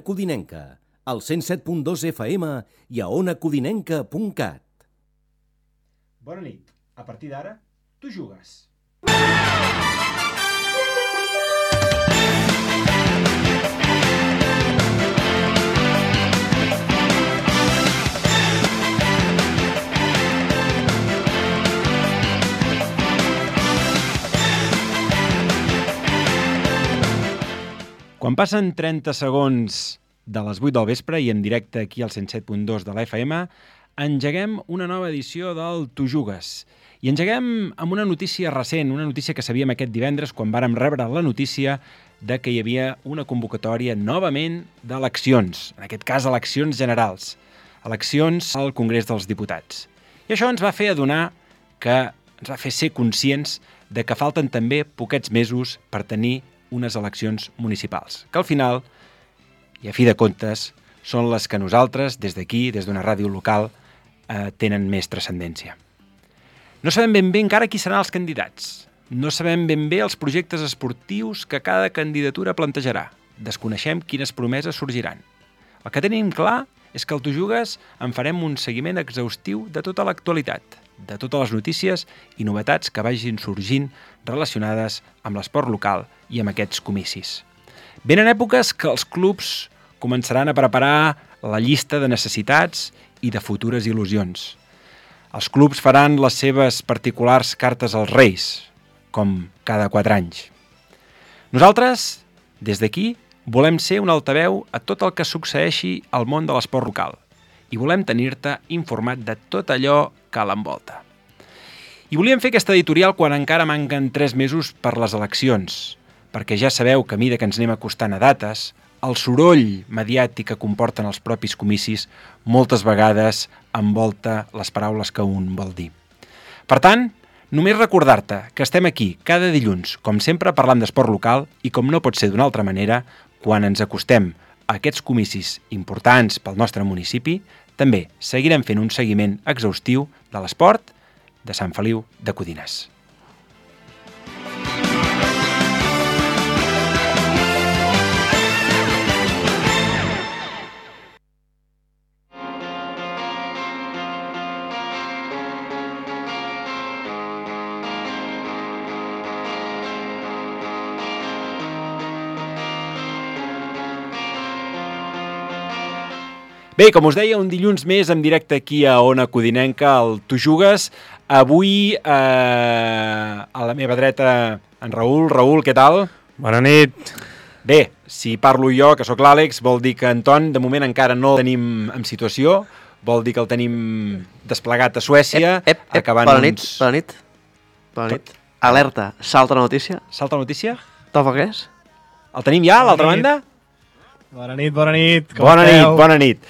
Codinenca, al 107.2 FM i a onacodinenca.cat. Bona nit. A partir d'ara, tu jugues. Quan passen 30 segons de les 8 del vespre i en directe aquí al 107.2 de la FM, engeguem una nova edició del Tu Jugues. I engeguem amb una notícia recent, una notícia que sabíem aquest divendres quan vàrem rebre la notícia de que hi havia una convocatòria novament d'eleccions, en aquest cas eleccions generals, eleccions al Congrés dels Diputats. I això ens va fer adonar ens va fer ser conscients de que falten també poquets mesos per tenir unes eleccions municipals, que al final, i a fi de comptes, són les que nosaltres, des d'aquí, des d'una ràdio local, tenen més transcendència. No sabem ben bé encara qui seran els candidats. No sabem ben bé els projectes esportius que cada candidatura plantejarà. Desconeixem quines promeses sorgiran. El que tenim clar és que al Tu Jugues en farem un seguiment exhaustiu de tota l'actualitat, de totes les notícies i novetats que vagin sorgint relacionades amb l'esport local i amb aquests comicis. Venen èpoques que els clubs començaran a preparar la llista de necessitats i de futures il·lusions. Els clubs faran les seves particulars cartes als Reis, com cada 4 anys. Nosaltres, des d'aquí, volem ser un altaveu a tot el que succeeixi al món de l'esport local i volem tenir-te informat de tot allò que l'envolta. I volíem fer aquesta editorial quan encara manquen 3 mesos per les eleccions, perquè ja sabeu que a mesura que ens anem acostant a dates, el soroll mediàtic que comporten els propis comicis moltes vegades envolta les paraules que un vol dir. Per tant, només recordar-te que estem aquí cada dilluns, com sempre, parlant d'esport local i, com no pot ser d'una altra manera, quan ens acostem a aquests comicis importants pel nostre municipi, també seguirem fent un seguiment exhaustiu de l'esport de Sant Feliu de Codines. Bé, com us deia, un dilluns més en directe aquí a Ona Codinenca, al Tu Jugues. Avui a la meva dreta en Raül. Raül, què tal? Bona nit. Bé, si parlo jo, que sóc l'Àlex, vol dir que Anton de moment encara no el tenim en situació, vol dir que el tenim desplegat a Suècia. Bona nit. Alerta, salta la notícia. Salta la notícia? Topa què és? El tenim ja, a l'altra banda? Bona nit. Bona nit.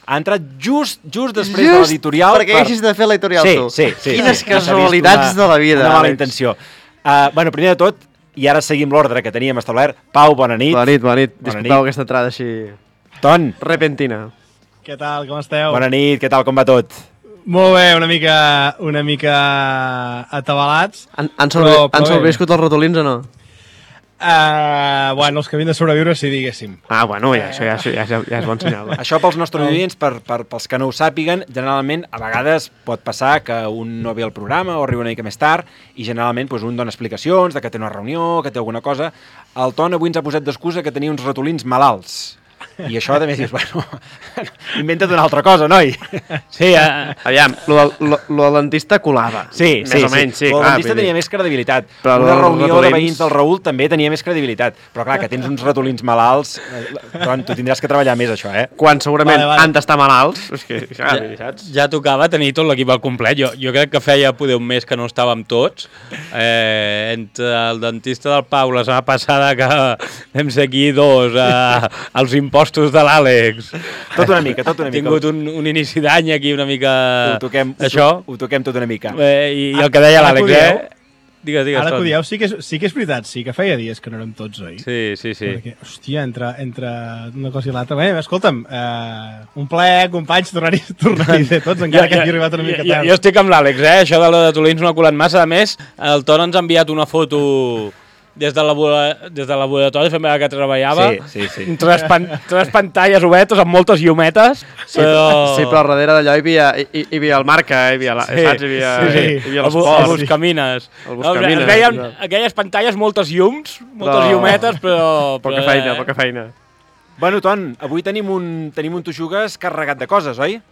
Ha entrat just després de l'editorial. Perquè haguessis de fer l'editorial tu. Sí. Quines casualitats de la vida. Una mala intenció. Primer de tot, i ara seguim l'ordre que teníem establert. Pau, bona nit. Bona nit. Disculpeu aquesta entrada així... Ton. Repentina. Què tal, com esteu? Bona nit, què tal, com va tot? Molt bé, una mica atabalats. Han sobreviscut els ratolins o no? Els que havien de sobreviure, si diguéssim. Bueno, això ja és bon senyal. Això pels nostres oients, pels que no ho sàpiguen, generalment a vegades pot passar que un no ve al programa o arriba una mica més tard i generalment un dona explicacions de que té una reunió, que té alguna cosa. El Ton avui ens ha posat d'excusa que tenia uns ratolins malalts. I això també dius, inventa't una altra cosa, noi. Sí, aviam, lo del dentista colava. Sí, més o menys, sí. El dentista tenia més credibilitat. Una reunió de veïns del Raül també tenia més credibilitat. Però clar, que tens uns ratolins malalts, tu tindràs que treballar més, això, Quan segurament han d'estar malalts. Saps? Ja tocava tenir tot l'equip al complet. Jo crec que feia poder un mes que no estàvem tots. Entre el dentista del Pau la setmana passada, que vam ser aquí dos, els impostos de l'Àlex. Tot una mica. He tingut un inici d'any aquí una mica... Ho toquem tot una mica. I el que deia l'Àlex, Digues. Ara que ho dieu, sí que és veritat, sí que feia dies que no érem tots, oi? Sí. Perquè, hòstia, entre una cosa i l'altra... Bé, escolta'm, un plaer, companys, tornar-hi a ser tots, encara que hagi arribat una mica tard. Jo estic amb l'Àlex, Això de la de Tolins no ha colat massa. A més, el Ton ens ha enviat una foto des del laboratori fent que treballava. Sí. Tres pantalles obertes amb moltes llumetes. Sí, però al darrere d'allò hi havia el Marca, hi havia l'esport. El Buscamines. Es veien aquelles pantalles, moltes llums, moltes llumetes, però... Poca feina. Bueno, Ton, avui tenim un Tu Jugues carregat de coses, oi?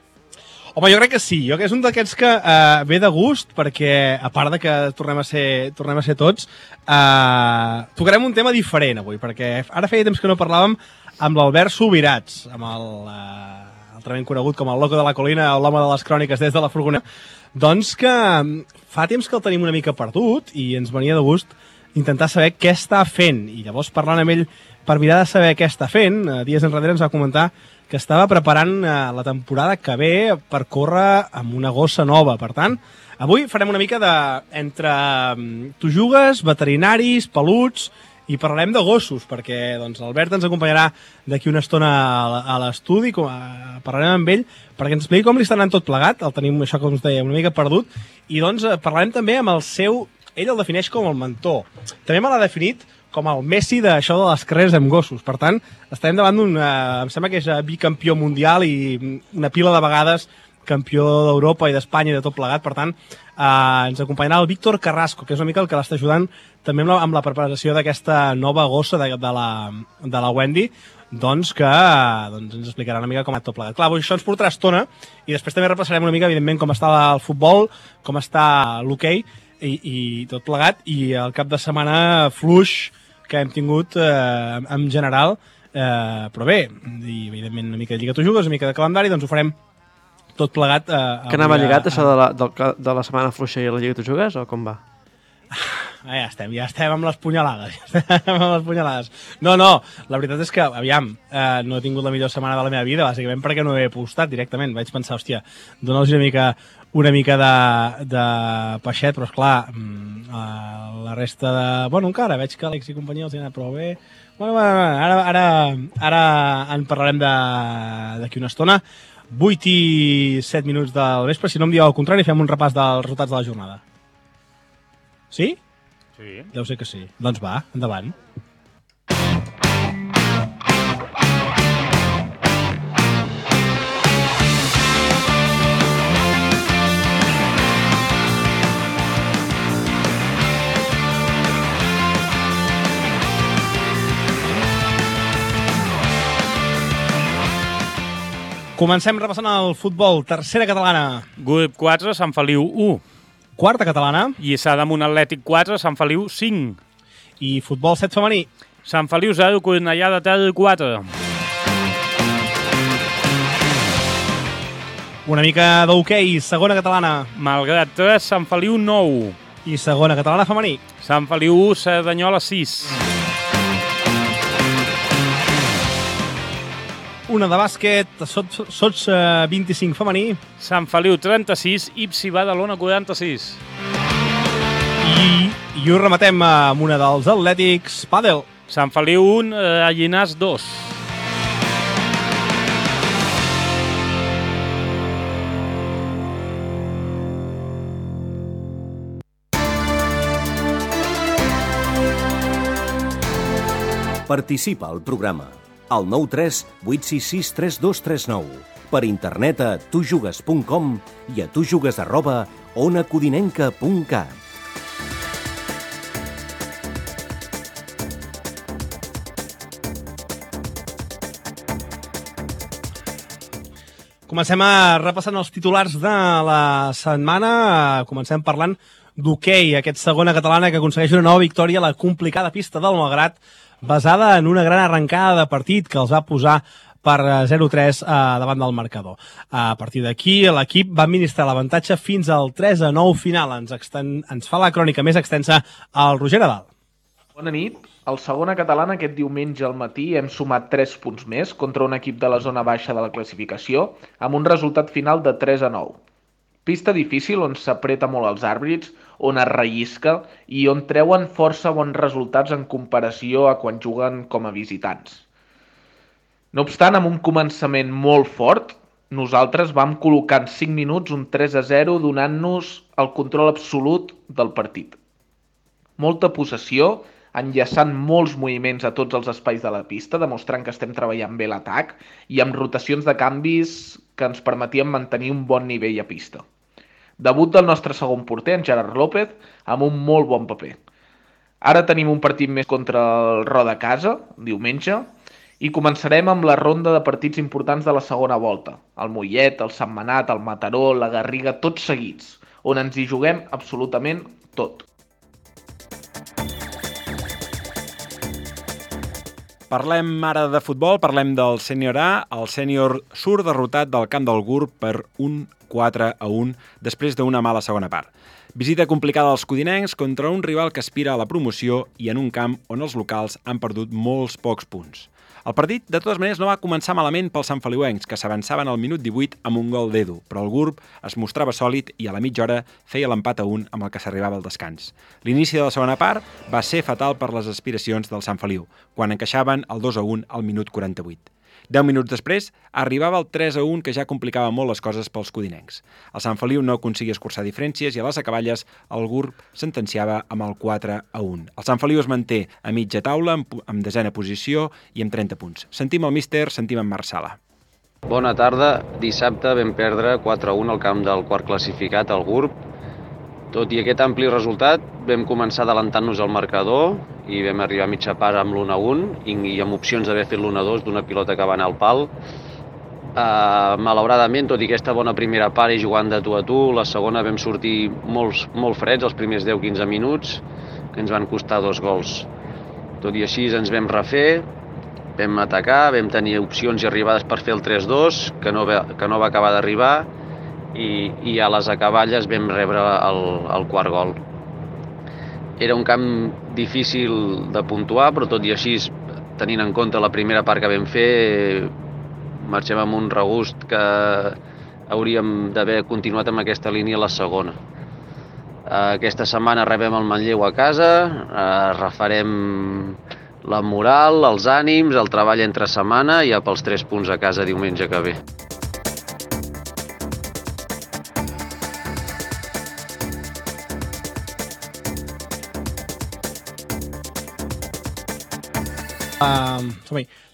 Home, jo crec que sí. Jo crec que és un d'aquests que ve de gust, perquè, a part de que tornem a ser tots, tocarem un tema diferent avui, perquè ara feia temps que no parlàvem amb l'Albert Subirats, amb altrament conegut com el loco de la colina o l'home de les cròniques des de la furgoneta, doncs que fa temps que el tenim una mica perdut i ens venia de gust intentar saber què està fent. I llavors, parlant amb ell per mirar de saber què està fent, dies enrere ens va comentar que estava preparant la temporada que ve per córrer amb una gossa nova. Per tant, avui farem una mica entre Tu Jugues, veterinaris, peluts, i parlarem de gossos, perquè doncs, l'Albert ens acompanyarà d'aquí una estona a l'estudi, parlarem amb ell, perquè ens expliqui com li està anant tot plegat, el tenim, això com us deia, una mica perdut, i doncs parlarem també amb el seu... Ell el defineix com el mentor. També me l'ha definit com el Messi d'això de les carreres amb gossos. Per tant, estarem davant d'un... em sembla que és bicampió mundial i una pila de vegades campió d'Europa i d'Espanya i de tot plegat. Per tant, ens acompanyarà el Víctor Carrasco, que és una mica el que l'està ajudant també amb la preparació d'aquesta nova gossa de la Wendy, doncs que ens explicarà una mica com ha tot plegat. Clar, això ens portarà estona i després també repassarem una mica, evidentment, com està el futbol, com està l'hoquei i tot plegat, i el cap de setmana fluix que hem tingut en general, però bé, i evidentment una mica de Lliga Tu Jugues, una mica de calendari, doncs ho farem tot plegat. Que anava lligat això de la setmana fluixa i la Lliga Tu Jugues, o com va? Ja estem amb les punyalades. No, la veritat és que, aviam, no he tingut la millor setmana de la meva vida, bàsicament perquè no he postat directament. Vaig pensar, hòstia, dona-los una mica de peixet, però esclar, la resta de... Bueno, encara veig que Àlex i companyia els hi ha anat prou bé. Bueno, ara en parlarem d'aquí una estona. 8 i 7 minuts del vespre, si no em dieu al contrari, fem un repàs dels resultats de la jornada. Sí? Sí. Deu ser que sí. Doncs va, endavant. Comencem repassant el futbol. Tercera catalana. Grup 4, Sant Feliu 1. Quarta catalana. Lliçà d'Amunt Atlètic 4, Sant Feliu 5. I futbol 7 femení. Sant Feliu 0, Cornellà de Ter 4. Una mica d'hoquei, segona catalana. Malgrat 3, Sant Feliu 9. I segona catalana femení. Sant Feliu 1, Cerdanyola 6. Una de bàsquet, Sots 25 femení. Sant Feliu 36, Ipsi Badalona 46. I ho rematem amb una dels atlètics, pàdel. Sant Feliu 1, Llinars 2. Participa al programa al 93 866 3239, per internet a tujugues.com i a tujugues@onacodinenca.cat. Comencem repassant els titulars de la setmana. Comencem parlant d'hoquei, aquest segona catalana que aconsegueix una nova victòria a la complicada pista del Malgrat, basada en una gran arrencada de partit que els va posar per 0-3 davant del marcador. A partir d'aquí, l'equip va administrar l'avantatge fins al 3-9 final. Ens fa la crònica més extensa al Roger Nadal. Bona nit. Al segona catalana aquest diumenge al matí hem sumat 3 punts més contra un equip de la zona baixa de la classificació, amb un resultat final de 3-9. Pista difícil on s'apreta molt els àrbitres, on es rellisca i on treuen força bons resultats en comparació a quan juguen com a visitants. No obstant, amb un començament molt fort, nosaltres vam col·locar en 5 minuts un 3-0 donant-nos el control absolut del partit. Molta possessió, enllaçant molts moviments a tots els espais de la pista, demostrant que estem treballant bé l'atac i amb rotacions de canvis que ens permetien mantenir un bon nivell a pista. Debut del nostre segon porter, en Gerard López, amb un molt bon paper. Ara tenim un partit més contra el Roda Casa, diumenge, i començarem amb la ronda de partits importants de la segona volta. El Mollet, el Sentmenat, el Mataró, la Garriga, tots seguits, on ens hi juguem absolutament tot. Parlem ara de futbol, parlem del sènior A. El sènior surt derrotat del camp del GURB per un 4-1 després d'una mala segona part. Visita complicada als codinencs contra un rival que aspira a la promoció i en un camp on els locals han perdut molts pocs punts. El partit, de totes maneres, no va començar malament pels santfeliuencs, que s'avançaven al minut 18 amb un gol d'Edu, però el GURB es mostrava sòlid i a la mitja hora feia l'empat a 1 amb el que s'arribava al descans. L'inici de la segona part va ser fatal per les aspiracions del Sant Feliu, quan encaixaven el 2-1 al minut 48. 10 minuts després, arribava el 3-1 que ja complicava molt les coses pels codinencs. El Sant Feliu no aconseguia escurçar diferències i a les acaballes el GURB sentenciava amb el 4-1. El Sant Feliu es manté a mitja taula, amb desena posició i amb 30 punts. Sentim el míster, sentim en Marc Sala. Bona tarda. Dissabte vam perdre 4-1 al camp del quart classificat, el GURB. Tot i aquest ampli resultat, vam començar adelantant-nos al marcador i vam arribar a mitja part amb l'1-1 i amb opcions d'haver fet l'1-2 d'una pilota que va anar al pal. Malauradament, tot i aquesta bona primera part i jugant de tu a tu, la segona vam sortir molt freds els primers 10-15 minuts, que ens van costar 2 gols. Tot i així ens vam refer, vam atacar, vam tenir opcions i arribades per fer el 3-2, que no va acabar d'arribar, i a les acaballes vam rebre el quart gol. Era un camp difícil de puntuar, però tot i així, tenint en compte la primera part que vam fer, marxem amb un regust que hauríem d'haver continuat amb aquesta línia a la segona. Aquesta setmana rebem el Manlleu a casa, refarem la moral, els ànims, el treball entre setmana i ja pels 3 punts a casa diumenge que ve.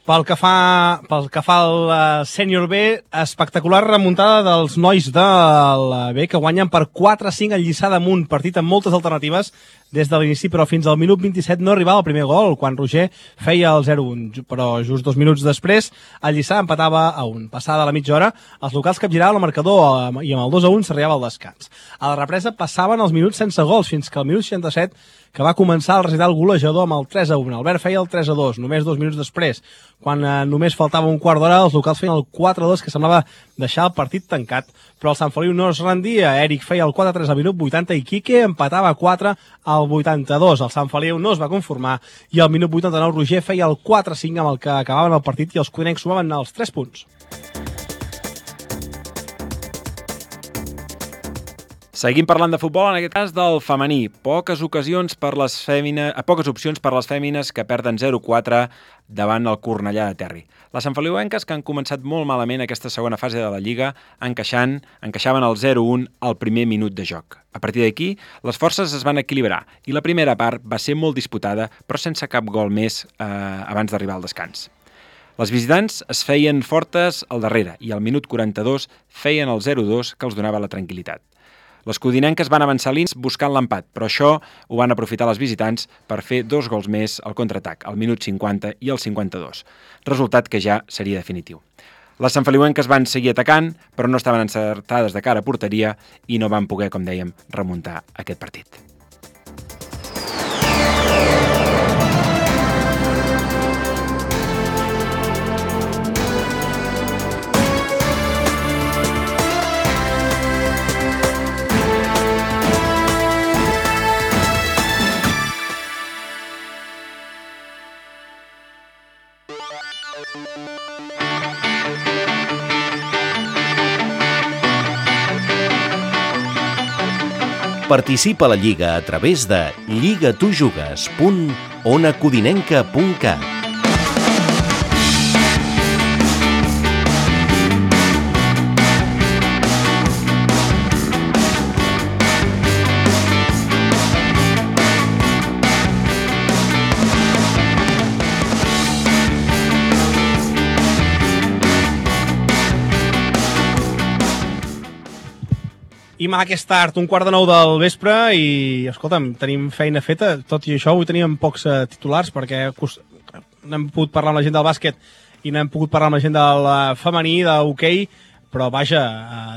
Pel que fa al sènior B, espectacular remuntada dels nois del B, que guanyen per 4-5 al Lliçà d'Amunt, partit amb moltes alternatives des de l'inici, però fins al minut 27 no arribava el primer gol, quan Roger feia el 0-1, però just 2 minuts després el Lliçà empatava a 1. Passada la mitja hora, els locals capgiraven el marcador i amb el 2-1 s'arribava al descans. A la represa passaven els minuts sense gols, fins que al minut 67, que va començar el recital golejador amb el 3-1. Albert feia el 3-2, només 2 minuts després. Quan només faltava un quart d'hora, els locals feien el 4-2, que semblava deixar el partit tancat, però el Sant Feliu no es rendia. Eric feia el 4-3 al minut 80 i Quique empatava 4 al 82. El Sant Feliu no es va conformar i al minut 89 Roger feia el 4-5 amb el que acabaven el partit i els codinencs sumaven els 3 punts. Seguim parlant de futbol, en aquest cas del femení. Poques opcions per les fèmines que perden 0-4 davant el Cornellà de Terri. Les santfeliuenques, que han començat molt malament aquesta segona fase de la Lliga, encaixaven el 0-1 al primer minut de joc. A partir d'aquí, les forces es van equilibrar i la primera part va ser molt disputada, però sense cap gol més abans d'arribar al descans. Les visitants es feien fortes al darrere i al minut 42 feien el 0-2 que els donava la tranquil·litat. Les codinenques van avançar l'ins buscant l'empat, però això ho van aprofitar les visitants per fer 2 gols més al contraatac, al minut 50 i al 52, resultat que ja seria definitiu. Les santfeliuenques van seguir atacant, però no estaven encertades de cara a porteria i no van poder, com dèiem, remuntar aquest partit. Participa a la Lliga a través de lligatujugues.onacodinenca.cat. I aquest tard, 1:45 del vespre, i, escolta'm, tenim feina feta. Tot i això, avui teníem pocs titulars, perquè no hem pogut parlar amb la gent del bàsquet i no hem pogut parlar amb la gent del femení, d'hoquei, però vaja,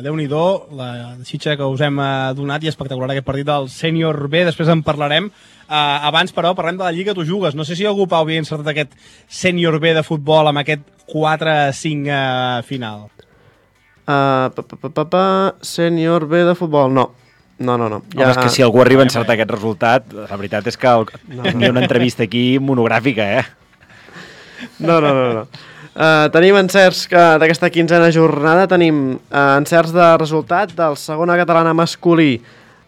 Déu-n'hi-do, la xitxa que us hem donat i espectacular aquest partit del sènior B, després en parlarem. Abans, però, parlem de la Lliga Tu Jugues. No sé si algú, Pau, havia encertat aquest sènior B de futbol amb aquest 4-5 final. Sènior B de futbol, no. No. Home, és que si algú arriba a encertar aquest resultat, la veritat és que n'hi ha una entrevista aquí monogràfica, No. Tenim encerts d'aquesta 15a jornada, tenim encerts de resultat del segona catalana masculí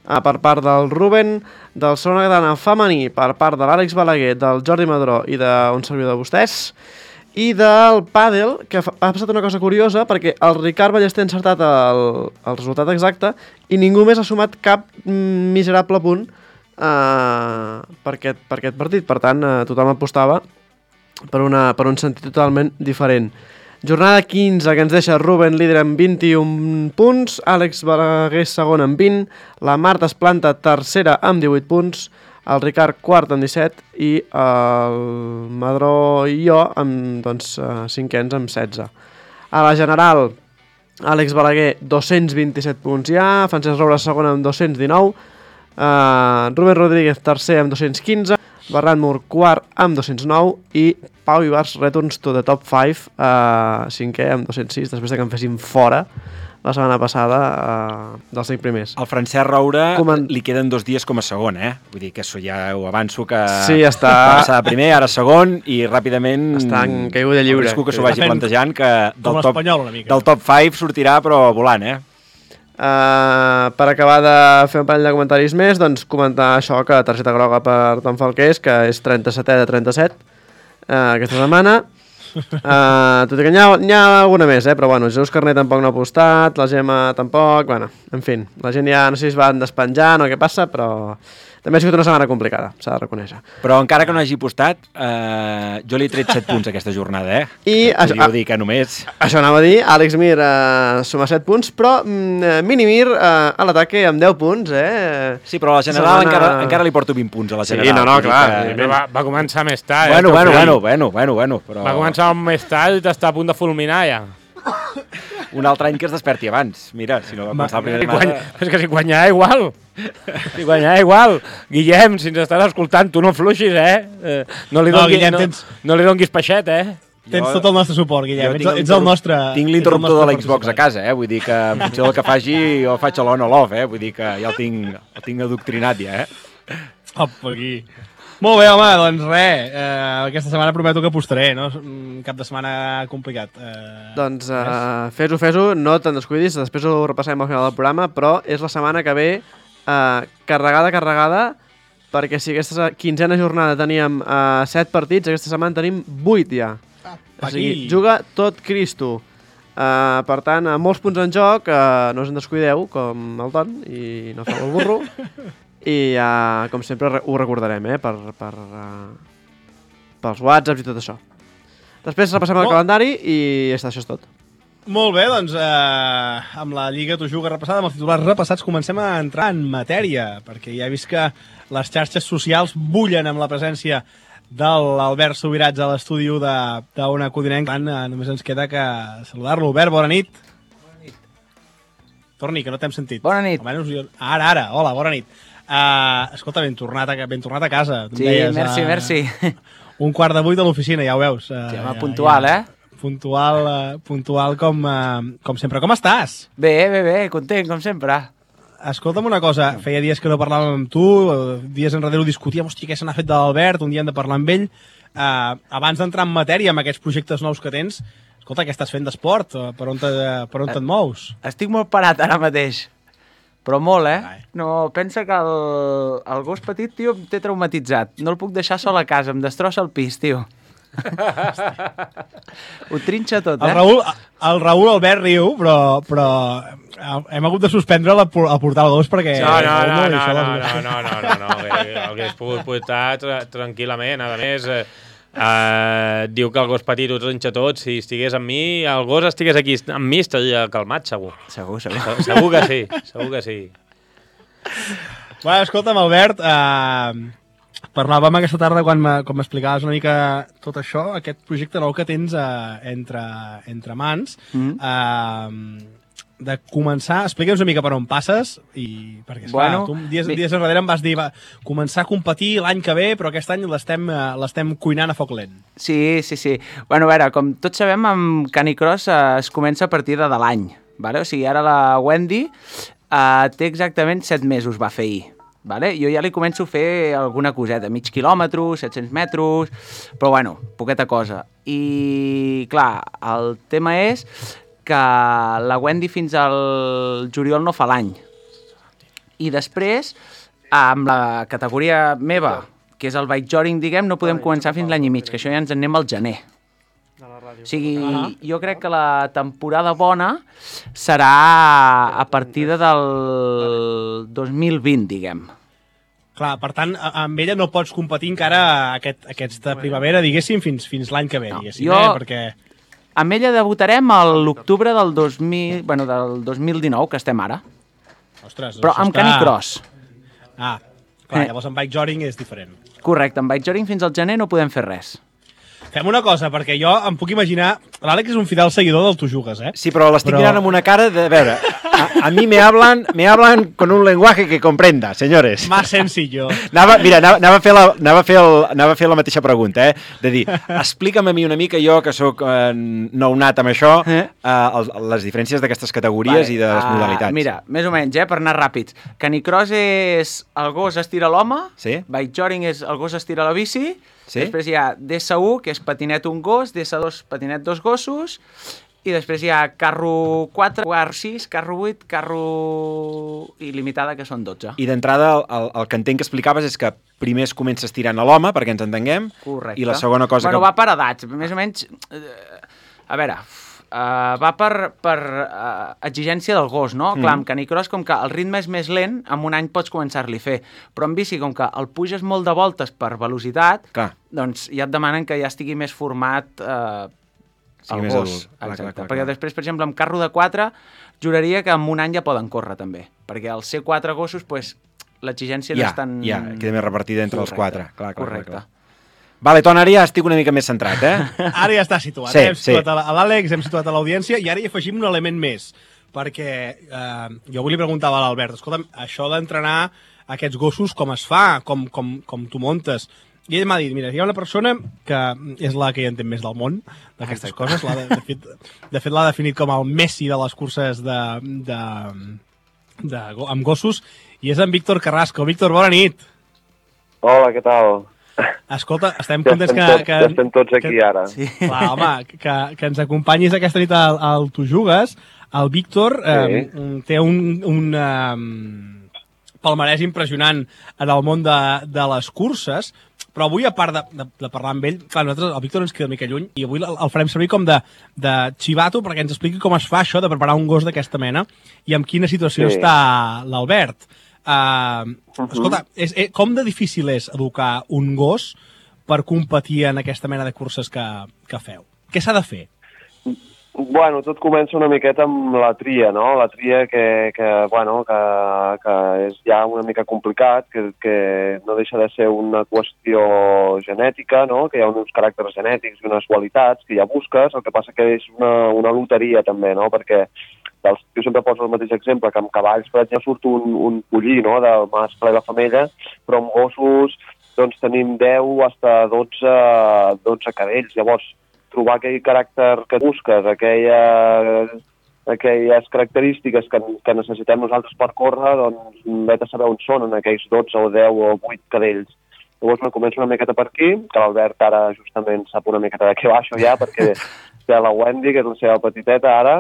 per part del Ruben, del segona catalana femení per part de l'Àlex Balaguer, del Jordi Madró i d'un servidor de vostès, i del pàdel, que ha passat una cosa curiosa, perquè el Ricard Ballester ha encertat el resultat exacte i ningú més ha sumat cap miserable punt per aquest partit. Per tant, tothom apostava per un sentit totalment diferent. Jornada 15, que ens deixa Ruben líder amb 21 punts, Àlex Balaguer segon amb 20, la Marta es planta tercera amb 18 punts, el Ricard quart amb 17 i el Madró i jo amb cinquens amb 16. A la general, Àlex Balaguer 227 punts ja, Francesc Roures segon amb 219, Rubén Rodríguez tercer amb 215, Ferran Mur quart amb 209 i Pau Ibars returns to the top 5, cinquè amb 206, després que en fessin fora la setmana passada dels 5 primers. El Francesc Roure li queden 2 dies com a segon, Vull dir que això ja ho avanço, que sí, està... va passar primer, ara segon, i ràpidament està en caiguda lliure. Risco que s'ho vagi plantejant, que del top 5 sortirà, però volant, Per acabar de fer un parell de comentaris més, doncs comentar això, que targeta groga per Tom Falqués, que és 37è de 37 aquesta setmana. Tot i que n'hi ha alguna més, però bueno, Jesús Carné tampoc no ha apostat, la Gemma tampoc, bueno, en fi, la gent ja no sé si es van despenjant o què passa, però també ha sigut una setmana complicada, s'ha de reconèixer. Però encara que no hagi apostat, jo li he tret 7 punts aquesta jornada, I podríeu dir que només... Això anava a dir, Àlex Mir suma 7 punts, però Minimir a l'ataque amb 10 punts, Sí, però a la general encara li porto 20 punts a la general. Sí, no, clar. Que... Va començar més tard. Bueno, però... Va començar més tard i t'està a punt de fulminar, ja. Un altre any que es desperti abans. Mira, si no va començar la primera setmana... És que si guanyarà igual. Guillem, si ens estàs escoltant, tu no fluixis, No li donguis peixet, Tens tot el nostre suport, Guillem. Ets el nostre... Tinc l'interruptor de l'Xbox a casa, Vull dir que en funció del que faci, jo faig l'on o l'off, Vull dir que ja el tinc adoctrinat, ja, Opa, aquí. Molt bé, home, doncs res, aquesta setmana prometo que apostaré, no? Un cap de setmana complicat. Doncs fes-ho, no te'n descuidis, després ho repassarem al final del programa, però és la setmana que ve carregada, perquè si aquesta 15a jornada teníem 7 partits, aquesta setmana tenim 8 ja. O sigui, juga tot Cristo. Per tant, molts punts en joc, no us en descuideu, com el Ton, i no feu el burro. I, com sempre, ho recordarem, pels WhatsApps i tot això. Després repassem el calendari i això és tot. Molt bé, doncs, amb la Lliga Tu Jugues repassada, amb els titulars repassats, comencem a entrar en matèria, perquè ja he vist que les xarxes socials bullen amb la presència de l'Albert Subirats a l'estudi d'Ona Codinenc. Només ens queda que saludar-lo. Albert, bona nit. Torni, que no t'hem sentit. Bona nit. Ara, hola, bona nit. Escolta, ben tornat a casa. Sí, merci. 7:45 de l'oficina, ja ho veus. Sí, home, puntual, Puntual com sempre. Com estàs? Bé, content, com sempre. Escolta'm una cosa, feia dies que no parlàvem amb tu, dies enrere ho discutíem, hòstia, què se n'ha fet de l'Albert, un dia hem de parlar amb ell. Abans d'entrar en matèria amb aquests projectes nous que tens, escolta, què estàs fent d'esport? Per on et mous? Estic molt parat ara mateix, però molt, No, pensa que el gos petit, tio, em té traumatitzat. No el puc deixar sol a casa, em destrossa el pis, tio. Ho trinxa tot, El Raül Albert riu, però hem hagut de suspendre el portar el gos perquè... No, hagués pogut portar tranquil·lament. A més, Diu que el gos petit ho trinxa tot. Si estigués amb mi, el gos estigués aquí amb mi, estaria calmat, segur. Segur. Segur que sí. Bueno, escolta'm, Albert, parlàvem aquesta tarda quan m'explicaves una mica tot això, aquest projecte nou que tens entre mans, de començar, explica'ns una mica per on passes, i perquè, esclar, tu dies enrere em vas dir, començar a competir l'any que ve, però aquest any l'estem cuinant a foc lent. Sí. Bueno, a veure, com tots sabem, amb Canicross es comença a partir de l'any, vale? O sigui, ara la Wendy té exactament 7 mesos, va fer ahir. Vale? Jo ja li començo a fer alguna coseta, mig quilòmetre, 700 metres, però bueno, poqueta cosa. I clar, el tema és que la Wendy fins al juliol no fa l'any. I després, amb la categoria meva, que és el bike jogging, diguem, no podem començar fins l'any i mig, que això ja ens en anem al gener. O sigui, jo crec que la temporada bona serà a partir del 2020, diguem. Clar, per tant, amb ella no pots competir encara aquesta primavera, diguéssim, fins l'any que ve, diguéssim, perquè... Amb ella debutarem a l'octubre del 2019, que estem ara. Ostres, però amb Canicross. Clar, llavors amb bike jogging és diferent. Correcte, amb bike jogging fins al gener no podem fer res. Fem una cosa, perquè jo em puc imaginar... L'Àlex és un fidel seguidor del Tu Jugues, eh? Sí, però l'estic mirant amb una cara de... A veure, a mi me hablan con un lenguaje que comprenda, señores. Más sencillo. Anava a fer la mateixa pregunta, de dir, explica'm a mi una mica, jo que sóc nounat amb això, les diferències d'aquestes categories i de les modalitats. Mira, més o menys, per anar ràpids. Canicross és el gos estira l'home, sí? Bike jogging és el gos estira la bici, sí? Després hi ha DS1, que és patinet un gos, DS2, patinet dos gossos, i després hi ha carro 4, carro 6, carro 8, carro il·limitada, que són 12. I d'entrada, el que entenc que explicaves és que primer es comença estirant a l'home, perquè ens entenguem, correcte. I la segona cosa va per edats, més o menys... A veure, va per exigència del gos, no? Clar, amb Canicross, com que el ritme és més lent, en un any pots començar-li a fer. Però en bici, com que el puges molt de voltes per velocitat, doncs ja et demanen que ja estigui més format el gos. Exacte. Perquè després, per exemple, amb carro de 4, juraria que en un any ja poden córrer, també. Perquè al ser 4 gossos, l'exigència no és tan... Ja, queda més repartida entre els 4. Correcte. Vale, Ton, ara ja estic una mica més centrat, Ara ja està situat. Sí, hem situat a l'Àlex, hem situat a l'audiència, i ara hi afegim un element més, perquè jo avui li preguntava a l'Albert, escolta'm, això d'entrenar aquests gossos, com es fa, com tu montes? I ell m'ha dit, mira, hi ha una persona que és la que hi entén més del món, d'aquestes coses, de fet l'ha definit com el Messi de les curses amb gossos, i és en Víctor Carrasco. Víctor, bona nit. Hola, què tal? Escolta, estem contents que estem tots aquí ara. Sí. Clar, home, que ens acompanyis aquesta nit al Tu Jugues. El Víctor té un palmarès impressionant en el món de les curses, però avui, a part de parlar amb ell, clar, nosaltres, el Víctor ens queda una mica lluny, i avui el farem servir com de xivato perquè ens expliqui com es fa això de preparar un gos d'aquesta mena i en quina situació està l'Albert. Escolta, com de difícil és educar un gos per competir en aquesta mena de curses que feu? Què s'ha de fer? Bueno, tot comença una miqueta amb la tria, no? La tria que és ja una mica complicat, que no deixa de ser una qüestió genètica, no? Que hi ha uns caràcters genètics i unes qualitats que ja busques, el que passa que és una loteria també, no? Perquè jo sempre poso el mateix exemple, que amb cavalls, per exemple, surt un pollí, no?, del mascle i la femella, però amb gossos doncs tenim 10 hasta 12 cadells. Llavors, trobar aquell caràcter que busques, aquelles característiques que necessitem nosaltres per córrer, doncs vet a saber on són en aquells 12 o 10 o 8 cadells. Llavors començo una miqueta per aquí, que l'Albert ara justament sap una miqueta de què va això ja, perquè té la Wendy, que és la seva petiteta ara,